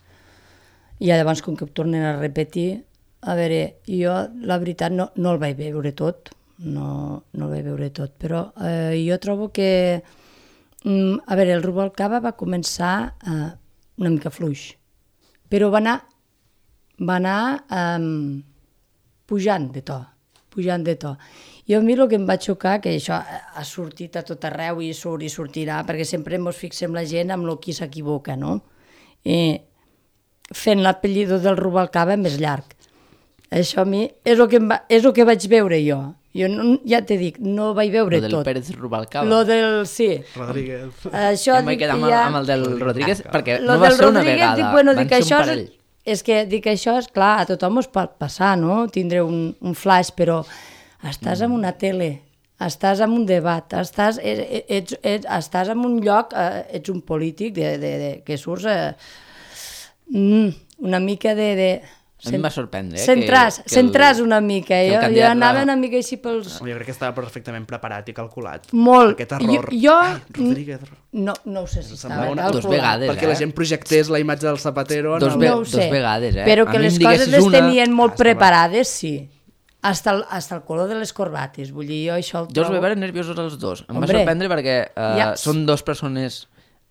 i llavors com que ho tornen a repetir, a veure, jo la veritat no, no el vaig veure tot, no, no el vaig veure tot, però eh, jo trobo que, mm, a veure, el Rubalcaba va començar eh, una mica fluix, però va anar, va anar eh, pujant de to, pujant de to. Jo a mi el que em va xocar, que això ha sortit a tot arreu i surt i sortirà, perquè sempre ens fixem la gent amb el qui s'equivoca, no? I fent l'apellido del Rubalcaba més llarg. Això a mi és el que, em va, és el que vaig veure jo. Jo no, ja t'he dit, no vaig veure tot. Lo del tot. Pérez Rubalcaba. Lo del, sí. Rodríguez. Això em vaig quedar amb, ja... amb el del Rodríguez, perquè lo no va ser una Rodríguez, vegada, dic, bueno, van dic, ser això un parell. És, és que dic, això és clar, a tothom es pot passar, no? Tindre un, un flash, però estàs mm. en una tele, estàs en un debat, estàs, ets, ets, ets, estàs en un lloc, eh, ets un polític de, de, de, que surts eh, mm, una mica de... de a mi em va sorprendre. Eh, centràs, que, que centràs una mica. Jo, jo anava la... una mica així pels... Jo crec que estava perfectament preparat i calculat. Molt. Aquest error. Jo, jo... Ai, Rodríguez. No, no ho sé si estava una... calculat. Dos vegades, perquè eh? la gent projectés la imatge del Zapatero... Dos, el... ve... no ho sé, dos vegades, eh? Però que les coses les una... tenien molt ah, preparades, sí. Hasta el, hasta el color de les corbates. Vull dir, jo això el Jo els trobo... vaig veure nerviosos els dos. Em Hombre, va sorprendre perquè uh, ja... són dos persones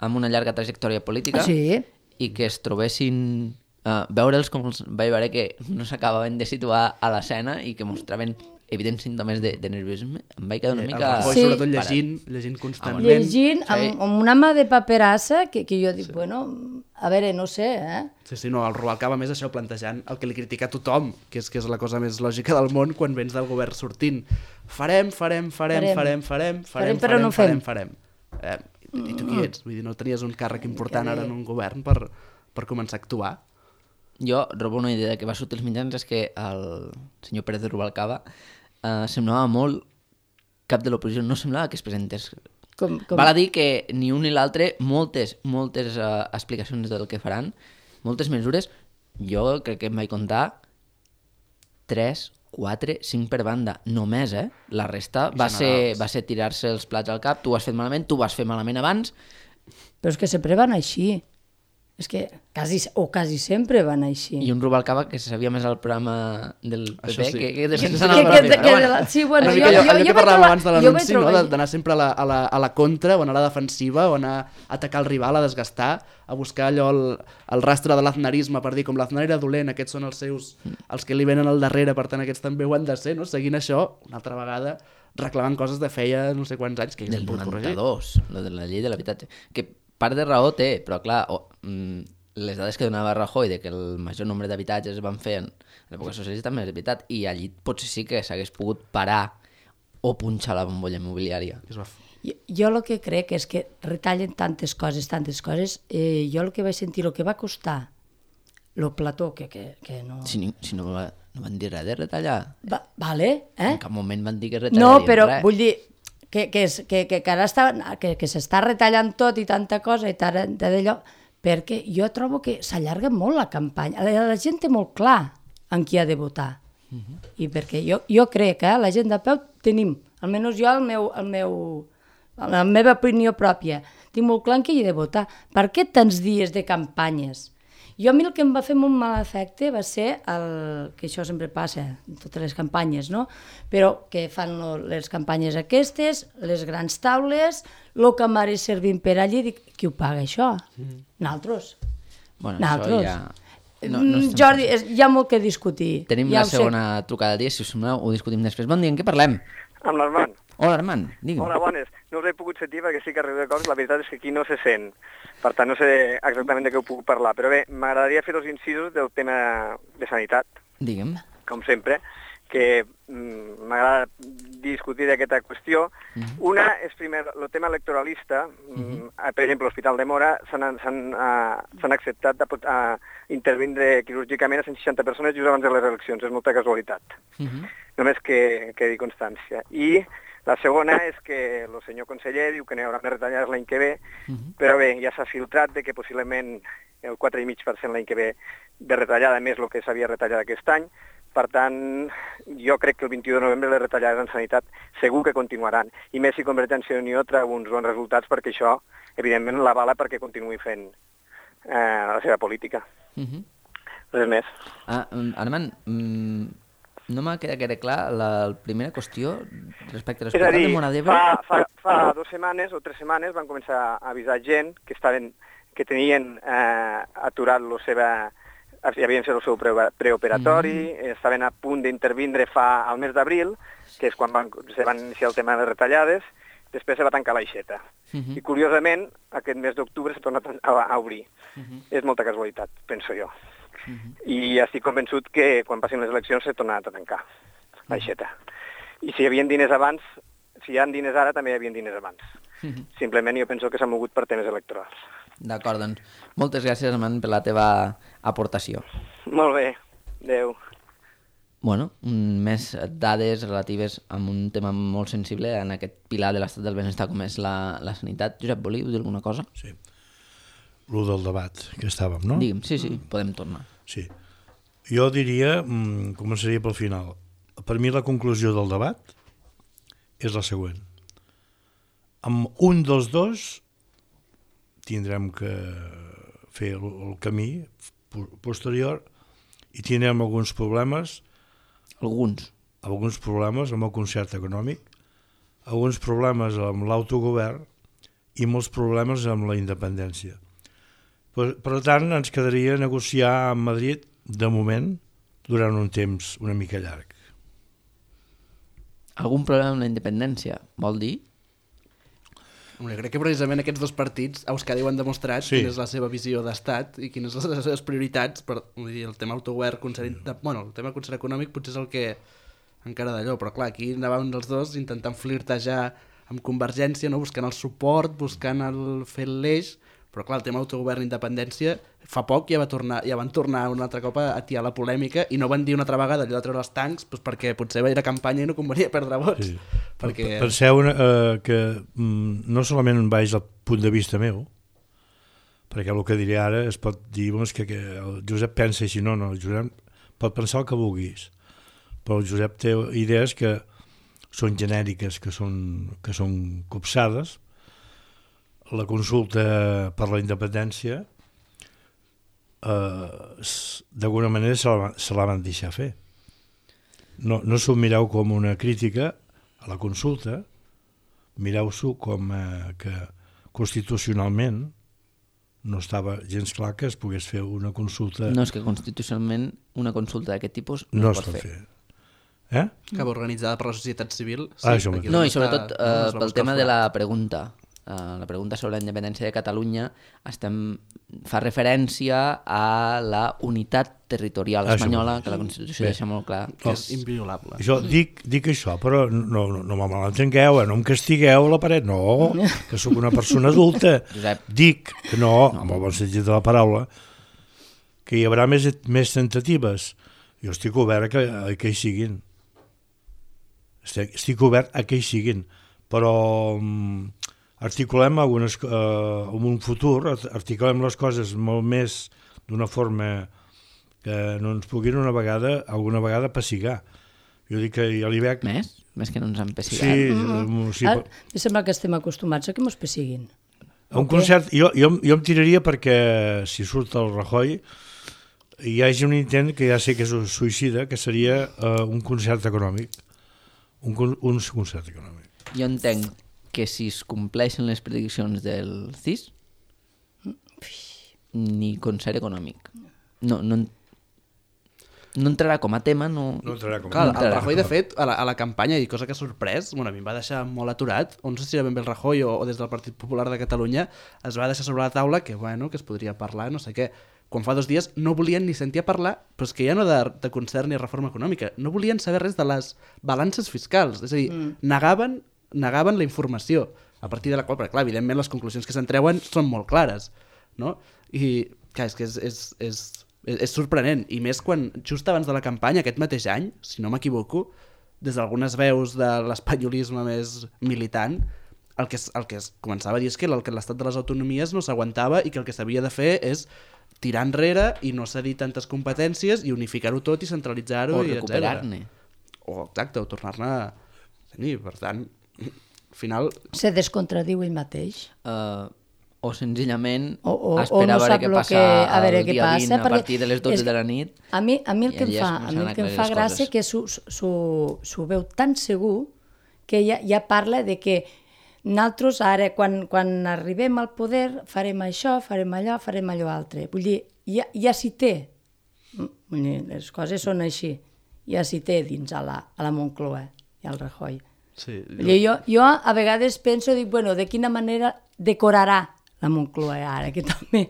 amb una llarga trajectòria política Sí. i que es trobessin... Uh, veure'ls com els vaig veure que no s'acabaven de situar a l'escena i que mostraven evidents símptomes de, de nerviosisme. Em vaig quedar una El mica... Rajoy, Sí. sobretot llegint, llegint constantment. Llegint Sí. amb, amb una mà de paperassa que, que jo dic, sí. bueno, a veure, no sé, eh? Sí, sí, no, el Rubalcaba més això plantejant el que li critica a tothom, que és, que és la cosa més lògica del món quan vens del govern sortint. Farem, farem, farem, Farem. farem, farem, farem, Farem, però farem, no fem. farem, farem. Eh, i, I tu qui ets? Vull dir, no tenies un càrrec important ara en un govern per, per començar a actuar? Jo robo una idea que va sortir als mitjans, és que el senyor Pérez Rubalcaba eh, semblava molt cap de l'oposició, no semblava que es presentés. Com, com... Val a dir que ni un ni l'altre, moltes, moltes uh, explicacions del que faran, moltes mesures, jo crec que em vaig comptar tres, quatre, cinc per banda, només, eh? La resta va ser, va ser tirar-se els plats al cap, tu ho has fet malament, tu ho vas fer malament abans. Però és que sempre van així. És que quasi, o quasi sempre van així. I un Rubalcaba que se sabia més al programa del P P Això sí. que, que de Que- sense que- anar que- al que- P P. que- sí, bueno, Una jo, mica allò, jo, allò jo que vaig parlàvem trobar- abans de jo vaig l'anunci, no? trobar- De- d'anar sempre a la, a, la, a la contra o anar a la defensiva o anar a atacar el rival, a desgastar, a buscar allò el, el rastre de l'aznarisme per dir com l'Aznar era dolent, aquests són els seus, els que li venen al darrere, per tant aquests també ho han de ser, no? Seguint això, una altra vegada, reclamant coses de feia no sé quants anys que Del s'han pogut corregir. noranta-dos, lo de la llei de l'habitatge. Que part de raó té, però clar, oh, mm, les dades que donava Rajoy de que el major nombre d'habitatges es van fer en l'època socialista també és veritat, i allí potser sí que s'hagués pogut parar o punxar la bombolla immobiliària. Jo, jo el que crec és que retallen tantes coses, tantes coses, eh, jo el que vaig sentir, el que va costar lo plató, que, que, que no... Si, ni, si no, va, no van dir res de retallar. Va, vale, eh? En cap moment van dir que retallarien No, però res. vull dir que, que, és, que, que, que ara està, que, que s'està retallant tot i tanta cosa i tant d'allò, perquè jo trobo que s'allarga molt la campanya. La, la gent té molt clar en qui ha de votar. Uh -huh. I perquè jo, jo crec que eh, la gent de peu tenim, almenys jo, el meu, el meu, la meva opinió pròpia, tinc molt clar en qui he de votar. Per què tants dies de campanyes? Jo a mi el que em va fer molt mal efecte va ser el, que això sempre passa en totes les campanyes, no? Però que fan lo, les campanyes aquestes, les grans taules, el que m'ha servint per allí, dic, qui ho paga això? Mm. Nosaltres. Bueno, Nosaltres. això ja... No, no Jordi, és, hi ha molt que discutir. Tenim ja la segona sé. trucada del dia, si us sembla, ho discutim després. Bon dia, en què parlem? Amb l'Armand. Hola, Armand, digue'm. Hola, bones. No us he pogut sentir perquè sí que arribo de coses, la veritat és que aquí no se sent. Per tant, no sé exactament de què ho puc parlar. Però bé, m'agradaria fer dos incisos del tema de sanitat, Digue'm. com sempre, que mm, m'agrada discutir d'aquesta qüestió. Uh -huh. Una és, primer, el tema electoralista. Uh -huh. Per exemple, l'Hospital de Mora s'han uh, acceptat de uh, intervindre quirúrgicament a cent seixanta persones just abans de les eleccions. És molta casualitat. Uh -huh. Només que quedi constància. I la segona és que el senyor conseller diu que no hi haurà més retallades l'any que ve, uh -huh. però bé, ja s'ha filtrat de que possiblement el quatre coma cinc per cent l'any que ve de retallada, més el que s'havia retallat aquest any. Per tant, jo crec que el vint-i-u de novembre les retallades en sanitat segur que continuaran. I més si Convergència i Unió treu uns bons resultats, perquè això, evidentment, l'avala perquè continuï fent eh, la seva política. Uh -huh. Res més. Ah, Armand, mm, no m'ha quedat gaire clar la, la primera qüestió respecte a l'Hospital de Móra d'Ebre. Fa, fa, fa dues setmanes o tres setmanes van començar a avisar gent que, estaven, que tenien eh, aturat la seva... ja havien fet el seu preoperatori, mm-hmm. estaven a punt d'intervindre fa al mes d'abril, que és quan van, se van iniciar el tema de les retallades, després se va tancar l'aixeta. Mm-hmm. I curiosament, aquest mes d'octubre s'ha tornat a, a obrir. Mm-hmm. És molta casualitat, penso jo. Mm-hmm. I estic convençut que quan passin les eleccions s'ha tornat a tancar l'aixeta. Mm-hmm. I si hi havia diners abans, si hi ha diners ara, també hi havia diners abans. Mm-hmm. Simplement jo penso que s'ha mogut per temes electorals. D'acord, doncs moltes gràcies, Armand, per la teva aportació. Molt bé, adeu. Bueno, més dades relatives a un tema molt sensible en aquest pilar de l'estat del benestar com és la, la sanitat. Josep, volíeu dir alguna cosa? Sí. Lo del debat que estàvem, no? Digue'm, sí, sí, podem tornar. Sí. Jo diria, començaria pel final. Per mi la conclusió del debat és la següent. Amb un dels dos tindrem que fer el, el camí posterior i tindrem alguns problemes alguns alguns problemes amb el concert econòmic, alguns problemes amb l'autogovern i molts problemes amb la independència. Per, per tant, ens quedaria negociar amb Madrid de moment durant un temps una mica llarg. Algun problema amb la independència, vol dir? Hombre, crec que precisament aquests dos partits a Euskadi ho han demostrat, sí. Quina és la seva visió d'estat i quines són les seves prioritats. Per, vull dir, el tema autogovern, concert, bueno, el tema concert econòmic potser és el que encara d'allò, però clar, aquí anàvem els dos intentant flirtejar amb Convergència, no? Buscant el suport, buscant el fer l'eix, però clar, el tema autogovern i independència fa poc ja, va tornar, ja van tornar un altre cop a atiar la polèmica i no van dir una altra vegada allò de treure els tancs doncs perquè potser era campanya i no convenia perdre vots. Sí. Perquè... Penseu eh, que mm, no solament vaig al punt de vista meu, perquè el que diré ara es pot dir doncs, que, que el Josep pensa així, no, no, el Josep pot pensar el que vulguis, però el Josep té idees que són genèriques, que són, que són copsades. La consulta per la independència eh, d'alguna manera se la, se la van deixar fer. No, no s'ho mireu com una crítica a la consulta, mireu-s'ho com eh, que constitucionalment no estava gens clar que es pogués fer una consulta... No, és que constitucionalment una consulta d'aquest tipus no, no es pot fer. fer. Eh? Que va organitzada per la societat civil. Sí, ah, no, i sobretot eh, pel tema de la pregunta. uh, la pregunta sobre la independència de Catalunya estem, fa referència a la unitat territorial Això espanyola, mateix. que la Constitució Bé. deixa molt clar. Que és inviolable. Jo dic, dic això, però no, no, no me malentengueu, eh? No em castigueu a la paret, no, que sóc una persona adulta. Josep. Dic que no, amb el bon sentit de la paraula, que hi haurà més, més tentatives. Jo estic obert a que, a que hi siguin. Estic, estic obert a que hi siguin, però um, articulem algunes, uh, en un futur, articulem les coses molt més d'una forma que no ens puguin una vegada, alguna vegada pessigar. Jo dic que ja li veig... Més? Més que no ens han pessigat. Sí, mm-hmm. sí. Ara, em sembla que estem acostumats a que mos pessiguin. Un concert, jo, jo, jo em tiraria perquè si surt el Rajoy hi hagi un intent que ja sé que és un suïcida, que seria uh, un concert econòmic. Un, un concert econòmic. Jo entenc que si es compleixen les prediccions del C I S, ni concert econòmic. No, no, no entrarà com a tema, no... No entrarà com a Clar, tema. el Rajoy, de fet, a la, a la campanya, i cosa que ha sorprès, bueno, a mi em va deixar molt aturat, o no sé si era ben bé el Rajoy o, o des del Partit Popular de Catalunya, es va deixar sobre la taula que, bueno, que es podria parlar, no sé què. Quan fa dos dies no volien ni sentir a parlar, però és que ja no de, de concert ni reforma econòmica, no volien saber res de les balances fiscals, és a dir, mm. negaven, negaven la informació, a partir de la qual, perquè clar, evidentment les conclusions que se'n treuen són molt clares, no? I, clar, és que és... és, és és sorprenent, i més quan just abans de la campanya, aquest mateix any, si no m'equivoco, des d'algunes veus de l'espanyolisme més militant, el que, es, el que es començava a dir és que l'estat de les autonomies no s'aguantava i que el que s'havia de fer és tirar enrere i no cedir tantes competències i unificar-ho tot i centralitzar-ho. O i recuperar-ne. O, exacte, o tornar-ne a tenir. Per tant, al final... Se descontradiu ell mateix. Uh, o senzillament o, o, esperar o no a veure què lo passa que, a veure el què dia passa, vint a partir de les dotze de la nit. A mi, a mi el que em allà fa, es a mi el començaran que a em aclarir fa les gràcia coses. que s'ho veu tan segur que ja, ja parla de que nosaltres ara, quan, quan arribem al poder, farem això, farem allò, farem allò altre. Vull dir, ja, ja s'hi té. Vull dir, les coses són així. Ja s'hi té dins a la, a la Moncloa i al Rajoy. Sí, Vull dir, jo, jo a vegades penso, dic, bueno, de quina manera decorarà la Moncloa ara, que també...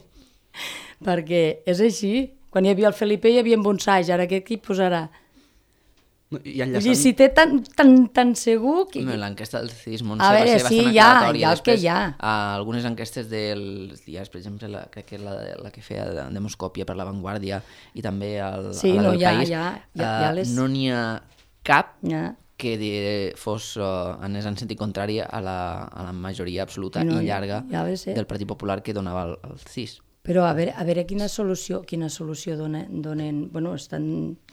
Perquè és així. Quan hi havia el Felipe hi havia bonsais, ara què hi posarà? I Vull dir, enllaçant... si té tan, tan, tan segur... Que... Home, l'enquesta del C I S Montse A va veure, ser sí, bastant ja, aclaratòria. ja el que Després, hi ha. a algunes enquestes dels diaris, per exemple, la, crec que la, la que feia de Demoscòpia per La Vanguardia i també el, Sí, a la no, del ja, País, ja, ja, eh, ja les... no n'hi ha cap Ja. que de, fos uh, anés en sentit contrari a la, a la majoria absoluta No, i llarga ja ve ser. del Partit Popular que donava el, el C I S. Però a veure, a veure quina solució, quina solució donen, donen... Bueno, estan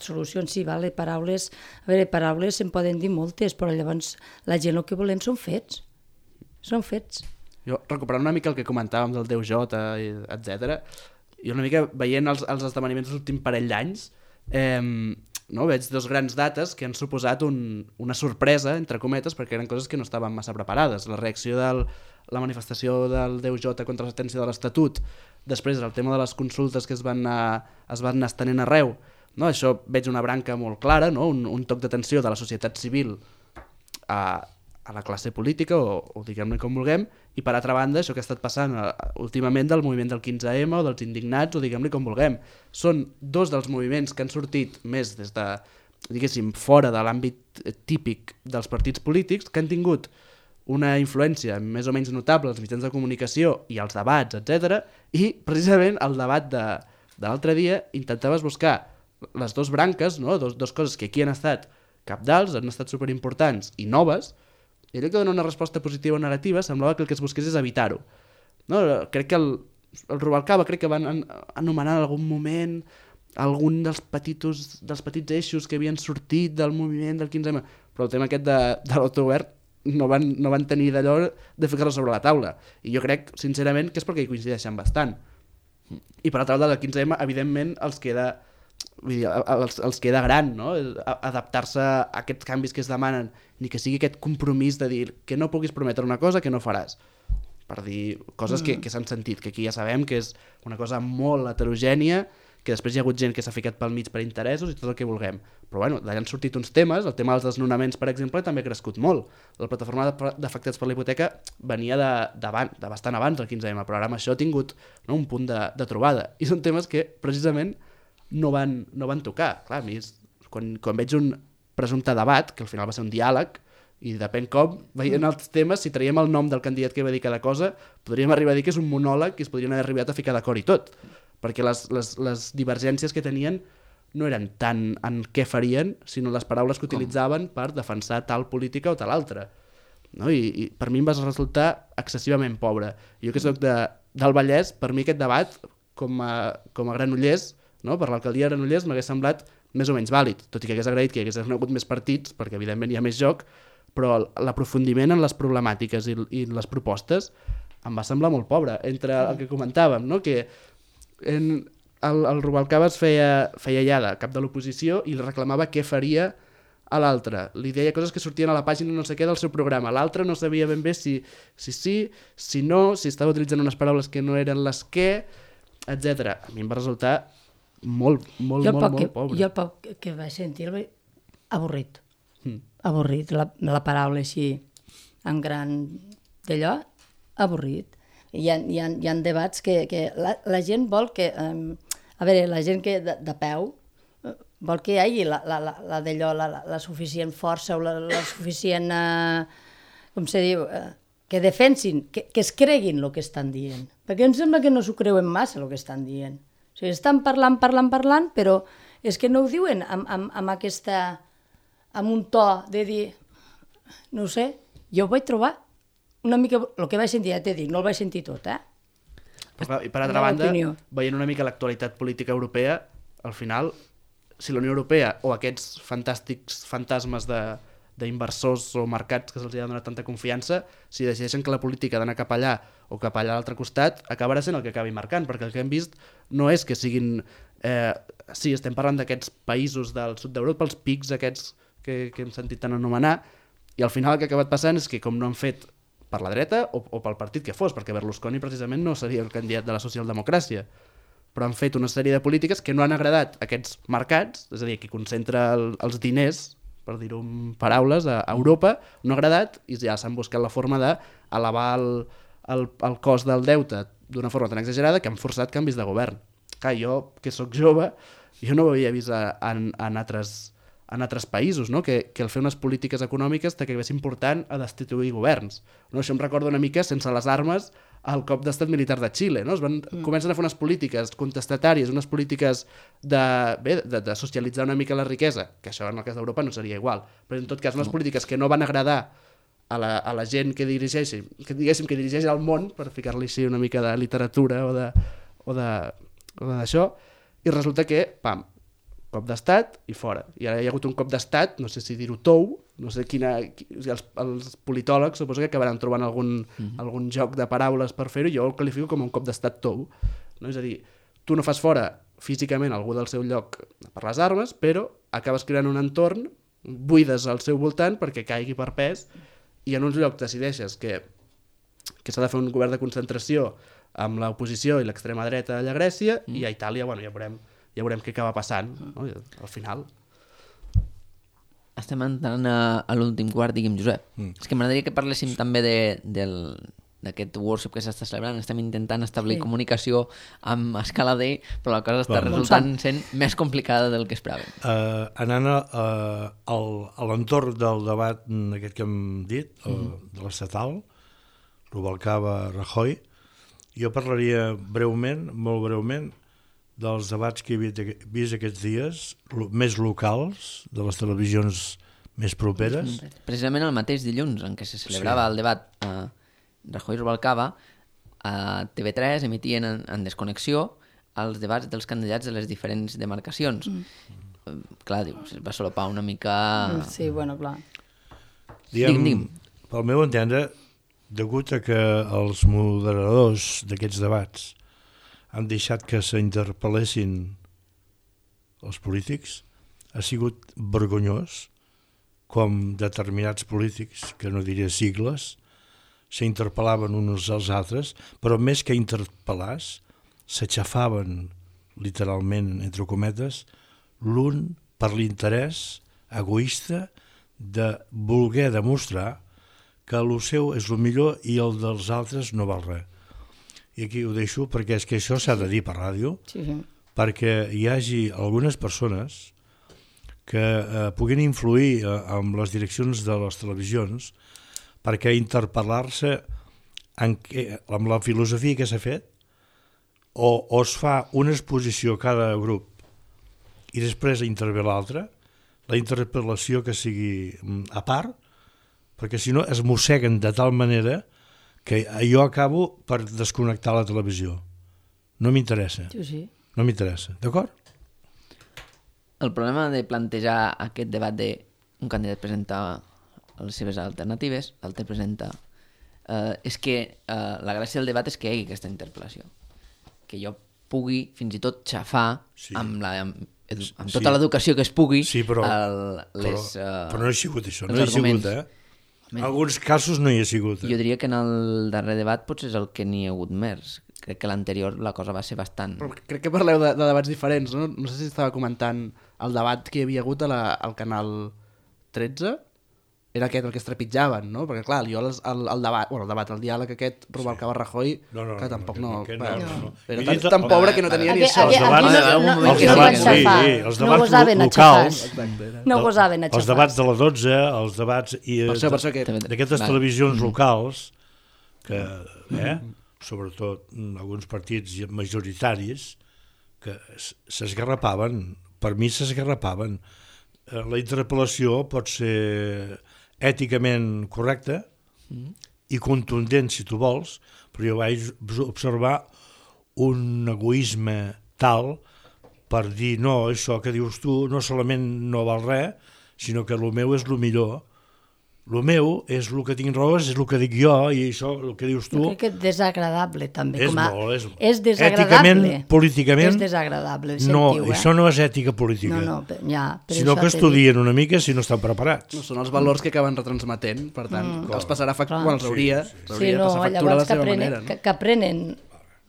solucions, sí, vale, paraules... A veure, paraules se'n poden dir moltes, però llavors la gent el que volem són fets. Són fets. Jo, recuperant una mica el que comentàvem del Déu Jota, etcètera, jo una mica veient els, els esdeveniments dels últims parell d'anys, eh, no, veig dos grans dates que han suposat un, una sorpresa, entre cometes, perquè eren coses que no estaven massa preparades. La reacció de la manifestació del Déu Jota contra la sentència de l'Estatut, després el tema de les consultes que es van anar, es van anar estenent arreu, no? Això veig una branca molt clara, no? un, un toc d'atenció de la societat civil a, a la classe política, o, o diguem-ne com vulguem, i per altra banda això que ha estat passant uh, últimament del moviment del quinze ema o dels indignats, o diguem-ne com vulguem. Són dos dels moviments que han sortit més des de, diguéssim, fora de l'àmbit típic dels partits polítics, que han tingut una influència més o menys notable als mitjans de comunicació i als debats, etcètera. I precisament el debat de, de l'altre dia intentaves buscar les dues branques, no? dos, dos coses que aquí han estat cabdals, han estat superimportants i noves, i allò que dona una resposta positiva o negativa semblava que el que es busqués és evitar-ho. No? Crec que el, el Rubalcaba crec que van an, anomenar en algun moment algun dels, petitos, dels petits eixos que havien sortit del moviment del quinze ema, però el tema aquest de, de l'autogovern no van, no van tenir d'allò de ficar-lo sobre la taula. I jo crec, sincerament, que és perquè hi coincideixen bastant. I per altra banda, del quinze ema, evidentment, els queda, vull dir, els, els queda gran, no? Adaptar-se a aquests canvis que es demanen, ni que sigui aquest compromís de dir que no puguis prometre una cosa que no faràs. Per dir coses mm. que, que s'han sentit, que aquí ja sabem que és una cosa molt heterogènia, que després hi ha hagut gent que s'ha ficat pel mig per interessos i tot el que vulguem. Però bueno, d'allà han sortit uns temes, el tema dels desnonaments, per exemple, també ha crescut molt. La plataforma d'afectats per la hipoteca venia de, de, de bastant abans del quinze ema, però ara amb això ha tingut, no, un punt de, de trobada. I són temes que precisament no van, no van tocar. Clar, a mi, és, quan, quan veig un presumpte debat, que al final va ser un diàleg, i depèn com, veient els temes, si traiem el nom del candidat que va dir cada cosa, podríem arribar a dir que és un monòleg i es podrien haver arribat a ficar d'acord i tot, perquè les, les, les divergències que tenien no eren tant en què farien, sinó les paraules que utilitzaven per defensar tal política o tal altra. No? I, i per mi em va resultar excessivament pobre. Jo que soc de, del Vallès, per mi aquest debat, com a, com a granollers, no? Per l'alcaldia de Granollers m'hagués semblat més o menys vàlid, tot i que hagués agraït que hi hagués hagut més partits, perquè evidentment hi ha més joc, però l'aprofundiment en les problemàtiques i, i les propostes em va semblar molt pobre, entre el que comentàvem, no? Que en, el, el Rubalcaba es feia, feia ja de cap de l'oposició i reclamava què faria a l'altre. Li deia coses que sortien a la pàgina no sé què del seu programa. L'altre no sabia ben bé si, si sí, si no, si estava utilitzant unes paraules que no eren les que, etcètera. A mi em va resultar molt, molt, molt, molt que, pobre. Jo el poc que vaig sentir el avorrit. Mm. Avorrit, la, la paraula així en gran d'allò, avorrit. Hi ha, hi ha, hi ha debats que, que la, la gent vol que, um, a veure, la gent que de, de peu vol que hi hagi la, la, la, la d'allò, la, la, la suficient força o la, la suficient, uh, com se diu, uh, que defensin, que, que es creguin el que estan dient. Perquè em sembla que no s'ho creuen massa el que estan dient. O sigui, estan parlant, parlant, parlant, però és que no ho diuen amb, amb, amb aquesta... amb un to de dir, no ho sé, jo ho vaig trobar una mica, el que vaig sentir, ja t'he dit, no el vaig sentir tot, eh? Però, I per altra banda, veient una mica l'actualitat política europea, al final, si la Unió Europea o aquests fantàstics fantasmes de, d'inversors o mercats que se'ls ha donat tanta confiança, si decideixen que la política d'anar cap allà o cap allà a l'altre costat, acabarà sent el que acabi marcant, perquè el que hem vist no és que siguin... Eh, sí, estem parlant d'aquests països del sud d'Europa, els pics aquests que, que hem sentit tant anomenar, i al final el que ha acabat passant és que com no han fet per la dreta o, o pel partit que fos, perquè Berlusconi precisament no seria el candidat de la socialdemocràcia, però han fet una sèrie de polítiques que no han agradat a aquests mercats, és a dir, que concentra el, els diners, per dir-ho en paraules, a, a Europa, no ha agradat i ja s'han buscat la forma d'elevar el, el, el cost del deute d'una forma tan exagerada que han forçat canvis de govern. Clar, jo, que sóc jove, jo no ho havia vist en, en altres... en altres països, no? que, que el fer unes polítiques econòmiques t'acabessin portant a destituir governs. No? Això em recorda una mica, sense les armes, el cop d'estat militar de Xile. No? Es van, mm. Comencen a fer unes polítiques contestatàries, unes polítiques de, bé, de, de socialitzar una mica la riquesa, que això en el cas d'Europa no seria igual, però en tot cas unes polítiques que no van agradar a la, a la gent que dirigeix, que diguéssim que dirigeix el món, per ficar-li així una mica de literatura o de, o de, o d'això, i resulta que, pam, cop d'estat i fora. I ara hi ha hagut un cop d'estat, no sé si dir-ho tou, no sé quina... Els, els politòlegs suposo que acabaran trobant algun, mm-hmm. algun joc de paraules per fer-ho, jo el qualifico com un cop d'estat tou. No? És a dir, tu no fas fora físicament algú del seu lloc per les armes, però acabes creant un entorn, buides al seu voltant perquè caigui per pes, i en uns llocs decideixes que, que s'ha de fer un govern de concentració amb l'oposició i l'extrema dreta allà a Grècia, mm. i a Itàlia, bueno, ja veurem ja veurem què acaba passant, no? Al final. Estem entrant a, a l'últim quart, digui'm, Josep. Mm. És que m'agradaria que parléssim també de, del, d'aquest workshop que s'està celebrant. Estem intentant establir sí. comunicació amb Escalader, però la cosa està bueno. resultant sent més complicada del que esperàvem. Uh, anant a, uh, al, a l'entorn del debat aquest que hem dit, mm. uh, de l'estatal, Rubalcaba-Rajoy, jo parlaria breument, molt breument, dels debats que he vist aquests dies, més locals, de les televisions més properes. Precisament el mateix dilluns en què se celebrava sí. el debat a Rajoy-Rubalcaba, a T V tres emitien en, en desconnexió els debats dels candidats de les diferents demarcacions. Mm. Clar, dius, es va solapar una mica... Sí, bueno, clar. Diguem, diguem. Pel meu entendre, degut a que els moderadors d'aquests debats han deixat que s'interpel·lessin els polítics, ha sigut vergonyós com determinats polítics, que no diré sigles, s'interpel·laven uns als altres, però més que interpel·lars, s'aixafaven literalment, entre cometes, l'un per l'interès egoista de voler demostrar que el seu és el millor i el dels altres no val res. I aquí ho deixo perquè és que això s'ha de dir per ràdio, Sí, sí. perquè hi hagi algunes persones que eh, puguin influir eh, amb les direccions de les televisions perquè interpel·lar-se en què, amb la filosofia que s'ha fet o, o es fa una exposició a cada grup i després intervé l'altre, la interpel·lació que sigui a part, perquè si no es mosseguen de tal manera que jo acabo per desconnectar la televisió. No m'interessa, Sí, sí. no m'interessa, d'acord? El problema de plantejar aquest debat de un candidat presenta les seves alternatives, l'altre presenta... Eh, és que eh, la gràcia del debat és que hi hagi aquesta interpel·lació. Que jo pugui fins i tot xafar Sí. amb, la, amb, edu, amb Sí. tota l'educació que es pugui Sí, però, el, les, però, eh, però no hi ha sigut això, no els hi ha sigut, arguments. eh? En alguns casos no hi ha sigut. Eh? Jo diria que en el darrer debat potser és el que n'hi ha hagut més. Crec que l'anterior la cosa va ser bastant... Però crec que parleu de, de debats diferents, no? No sé si estava comentant el debat que hi havia hagut a la, al canal tretze, era aquest el que es trepitjaven, no? Perquè clar, jo el, el, el debat, bueno, el debat, el diàleg aquest, Rubalcaba Rajoy, No, no, que no, tampoc no, no... aquest va, no, no. Era He tan, dit el- tan pobre que no tenia ni Aquí- això. aquí- Els debats- aquí no- no- els no els gosaven debats, sí, xafar. sí, els No debats gosaven a locals, xafar. Exacte, era. No gosaven a Els xafar. debats de la dotze, els debats i Per això, per això que... d'aquestes Vale. televisions locals que, eh, sobretot mm, alguns partits majoritaris que s- s'esgarrapaven, per mi s'esgarrapaven. Eh, La interpel·lació pot ser èticament correcta i contundent si tu vols, però jo vaig observar un egoisme tal per dir no, això que dius tu no solament no val res, sinó que el meu és el millor. El meu és el que tinc raó, és el que dic jo, i això, el que dius tu, Jo crec que és desagradable, també. és com a... molt, és, és desagradable. èticament, políticament, És desagradable, no, sentiu, eh? això no és ètica política, No, no, pe- ja, per sinó això que t'he estudien una mica si no estan preparats. No, són els valors que acaben retransmetent, per tant, mm. els passarà factura, Clar. bueno, els hauria, Sí, sí. dit. hauria Sí, de no, passar factura a llavors la que seva aprenen, manera. No? que, que aprenen.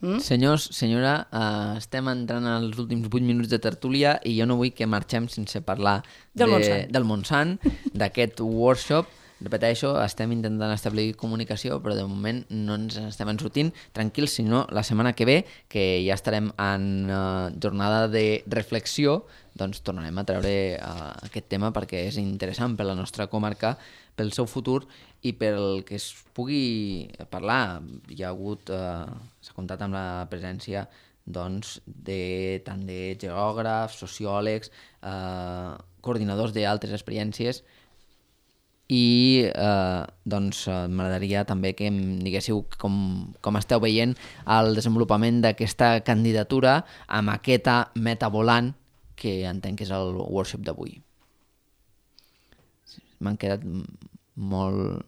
Mm? Senyors, senyora, uh, estem entrant als últims vuit minuts de tertúlia i jo no vull que marxem sense parlar Del de, Montsant. del Montsant, d'aquest workshop. Repeteixo, estem intentant establir comunicació, però de moment no ens estem en sortint. Tranquils, si no, la setmana que ve, que ja estarem en uh, jornada de reflexió, doncs tornarem a treure uh, aquest tema perquè és interessant per la nostra comarca, pel seu futur i pel que es pugui parlar. Hi ha hagut, uh, s'ha comptat amb la presència doncs, de, tant de geògrafs, sociòlegs, uh, coordinadors d'altres experiències, i eh, doncs eh, m'agradaria també que em diguéssiu com, com esteu veient el desenvolupament d'aquesta candidatura a maqueta metavolant que entenc que és el workshop d'avui. M'han quedat m- molt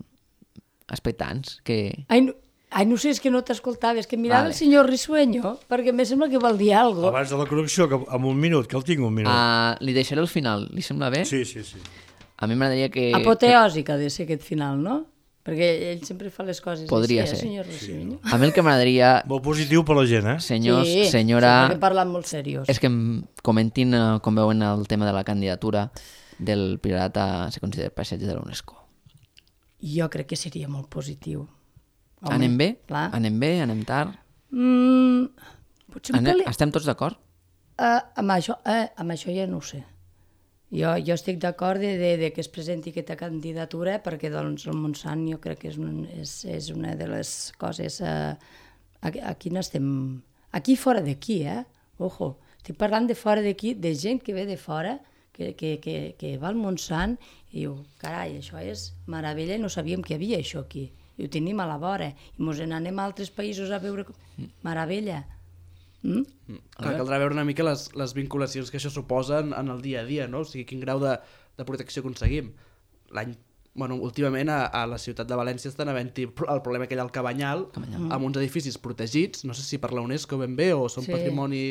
expectants. Que... Ai, no, ai, no sé, és que no t'escoltava, és que mirava Vale. el senyor Risueño, perquè em sembla que vol dir alguna cosa. Abans de la connexió, que en un minut, que el tinc un minut. Uh, li deixaré el final, li sembla bé? Sí, sí, sí. A mi m'agradaria que... Apoteòsic ha de ser aquest final, no? Perquè ell sempre fa les coses Podria així, ser. eh, senyor Risueño? A mi el que m'agradaria, Molt positiu per la gent, eh? senyors, sí, senyora... Sí, perquè parlen molt seriós. És que em comentin uh, com veuen el tema de la candidatura del Priorat a ser considerat paisatge de l'UNESCO. Jo crec que seria molt positiu. Home, Anem bé? Clar. Anem bé? Anem tard? Mm, potser un Anem... pel·li... Estem tots d'acord? Uh, amb, això, uh, amb això ja no ho sé. Jo, jo estic d'acord de, de, de que es presenti aquesta candidatura perquè doncs, el Montsant jo crec que és, un, és, és una de les coses... Uh, aquí, aquí n'estem... Aquí fora d'aquí, eh? Ojo, estic parlant de fora d'aquí, de gent que ve de fora, que, que, que, que va al Montsant i diu, carai, això és meravella, no sabíem que hi havia això aquí. I ho tenim a la vora. I mos n'anem a altres països a veure... Meravella. Mm? Clar, caldrà veure una mica les, les vinculacions que això suposa en, en el dia a dia, no? O sigui, quin grau de, de protecció aconseguim. L'any, bueno, últimament a, a la ciutat de València estan havent-hi el problema aquell al Cabanyal, Cabanyal. amb uns edificis protegits, no sé si per la UNESCO ben bé o són Sí. patrimoni...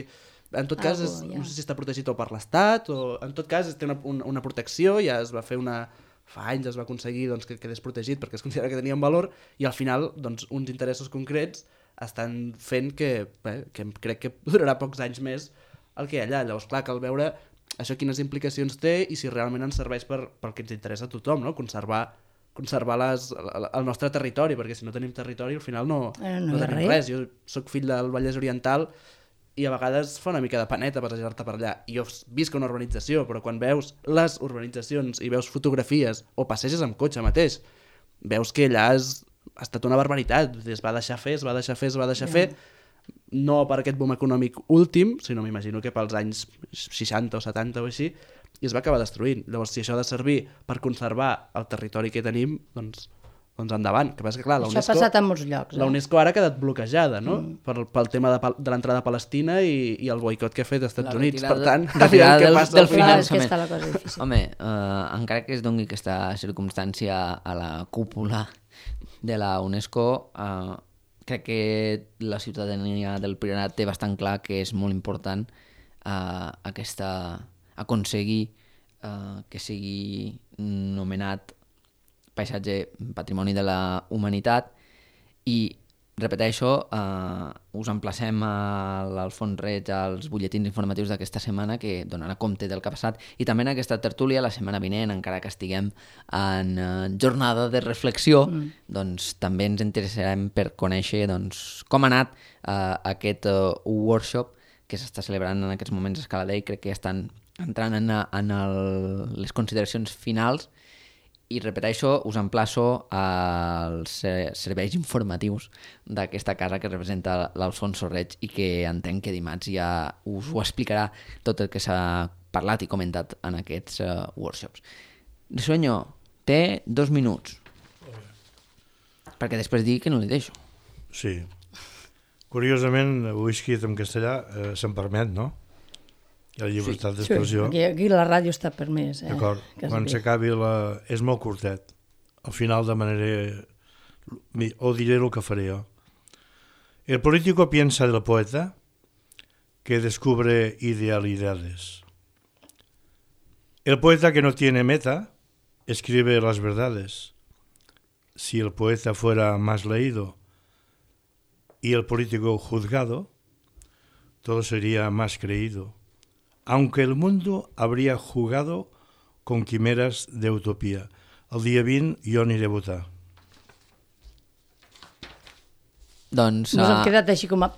En tot cas, és, Algo, ja. no sé si està protegit o per l'Estat, o en tot cas té una, una, una protecció, ja es va fer una... Fa anys es va aconseguir doncs, que quedés protegit perquè es considera que tenien valor i al final doncs, uns interessos concrets estan fent que, bé, que crec que durarà pocs anys més el que hi ha allà. Llavors, clar, cal veure això quines implicacions té i si realment ens serveix per, pel que ens interessa a tothom, no? Conservar, conservar les, el, el nostre territori, perquè si no tenim territori al final no, Eh, no no hi ha tenim res. res. Jo sóc fill del Vallès Oriental i a vegades fa una mica de paneta passejar-te per allà. I jo visc a una urbanització, però quan veus les urbanitzacions i veus fotografies o passeges amb cotxe mateix, veus que allà és, ha estat una barbaritat. Es va deixar fer, es va deixar fer, es va deixar Ja. fer, no per aquest boom econòmic últim, sinó m'imagino que pels anys seixanta o setanta o així, i es va acabar destruint. Llavors, si això ha de servir per conservar el territori que tenim, doncs, doncs endavant. Que passa que, clar, la Això ha UNESCO, passat en molts llocs. la Eh? UNESCO ara ha quedat bloquejada, no? Mm. Per, pel tema de, pal- de l'entrada a Palestina i, i el boicot que ha fet als Estats La Units. retirada- Per tant, retirada aviam què del- passa del al final. Clar, és que finançament. està la cosa difícil. Home, eh, encara que es doni aquesta circumstància a la cúpula de la UNESCO, eh, crec que la ciutadania del Priorat té bastant clar que és molt important eh, aquesta, aconseguir eh, que sigui nomenat paisatge patrimoni de la humanitat i repeteixo, eh, us emplacem a l'Alfons Reig als butlletins informatius d'aquesta setmana que donarà compte del que ha passat i també en aquesta tertúlia la setmana vinent, encara que estiguem en eh, jornada de reflexió, mm. doncs també ens interessarem per conèixer doncs, com ha anat eh, aquest eh, workshop que s'està celebrant en aquests moments a Escala Dei. Crec que estan entrant en, en el, les consideracions finals i repeteixo, us emplaço als serveis informatius d'aquesta casa que representa l'Alfonso Reig i que entenc que dimarts ja us ho explicarà tot el que s'ha parlat i comentat en aquests uh, workshops. Risueño, té dos minuts. Perquè després digui que no li deixo. Sí. Curiosament, ho he escrit en castellà, eh, se'n permet, no? Hi ha llibertat Sí, d'expressió. aquí, aquí la ràdio està permès. Eh? D'acord. Que es Quan ve. s'acabi la... És molt curtet. Al final demanaré... O diré el que faré jo. El político piensa del poeta que descubre idealidades. El poeta que no tiene meta escribe las verdades. Si el poeta fuera más leído y el político juzgado, todo sería más creído. Aunque el mundo habría jugado con quimeras de utopía. El dia vint jo aniré a votar. Doncs... Nos hem uh, quedat així com a...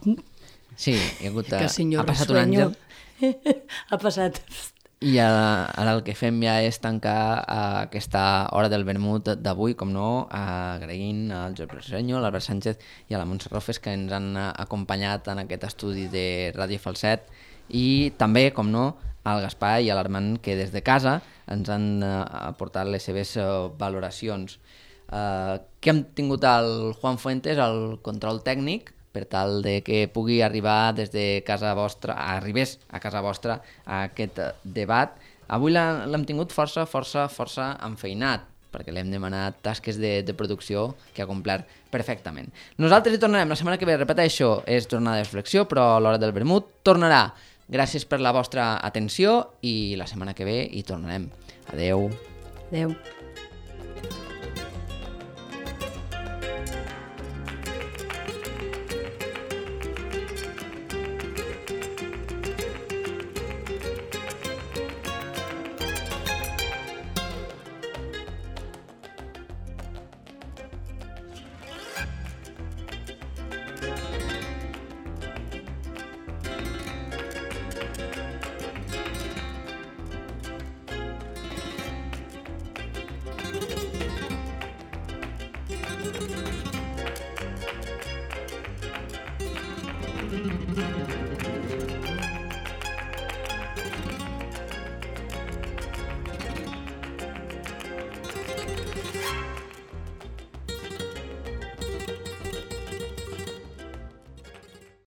sí, hi ha, hagut, Que uh, senyor ha passat un Risueño àngel. ha passat... I ara, ara el que fem ja és tancar uh, aquesta hora del vermut d'avui, com no, uh, agraint al Josep Risueño, a l'Albert Sánchez i a la Montse Rofes que ens han uh, acompanyat en aquest estudi de Ràdio Falset i també, com no, al Gaspar i a l'Armand que des de casa ens han uh, aportat les seves uh, valoracions. Uh, que hem tingut el Juan Fuentes, el control tècnic, per tal de que pugui arribar des de casa vostra, arribés a casa vostra a aquest debat. Avui l'ha- l'hem tingut força, força, força enfeinat, perquè l'hem demanat tasques de, de producció que ha complert perfectament. Nosaltres hi tornarem la setmana que ve, repeteixo, és jornada de reflexió, però l'hora del vermut tornarà. Gràcies per la vostra atenció i la setmana que ve hi tornarem. Adeu. Adéu. Thank you.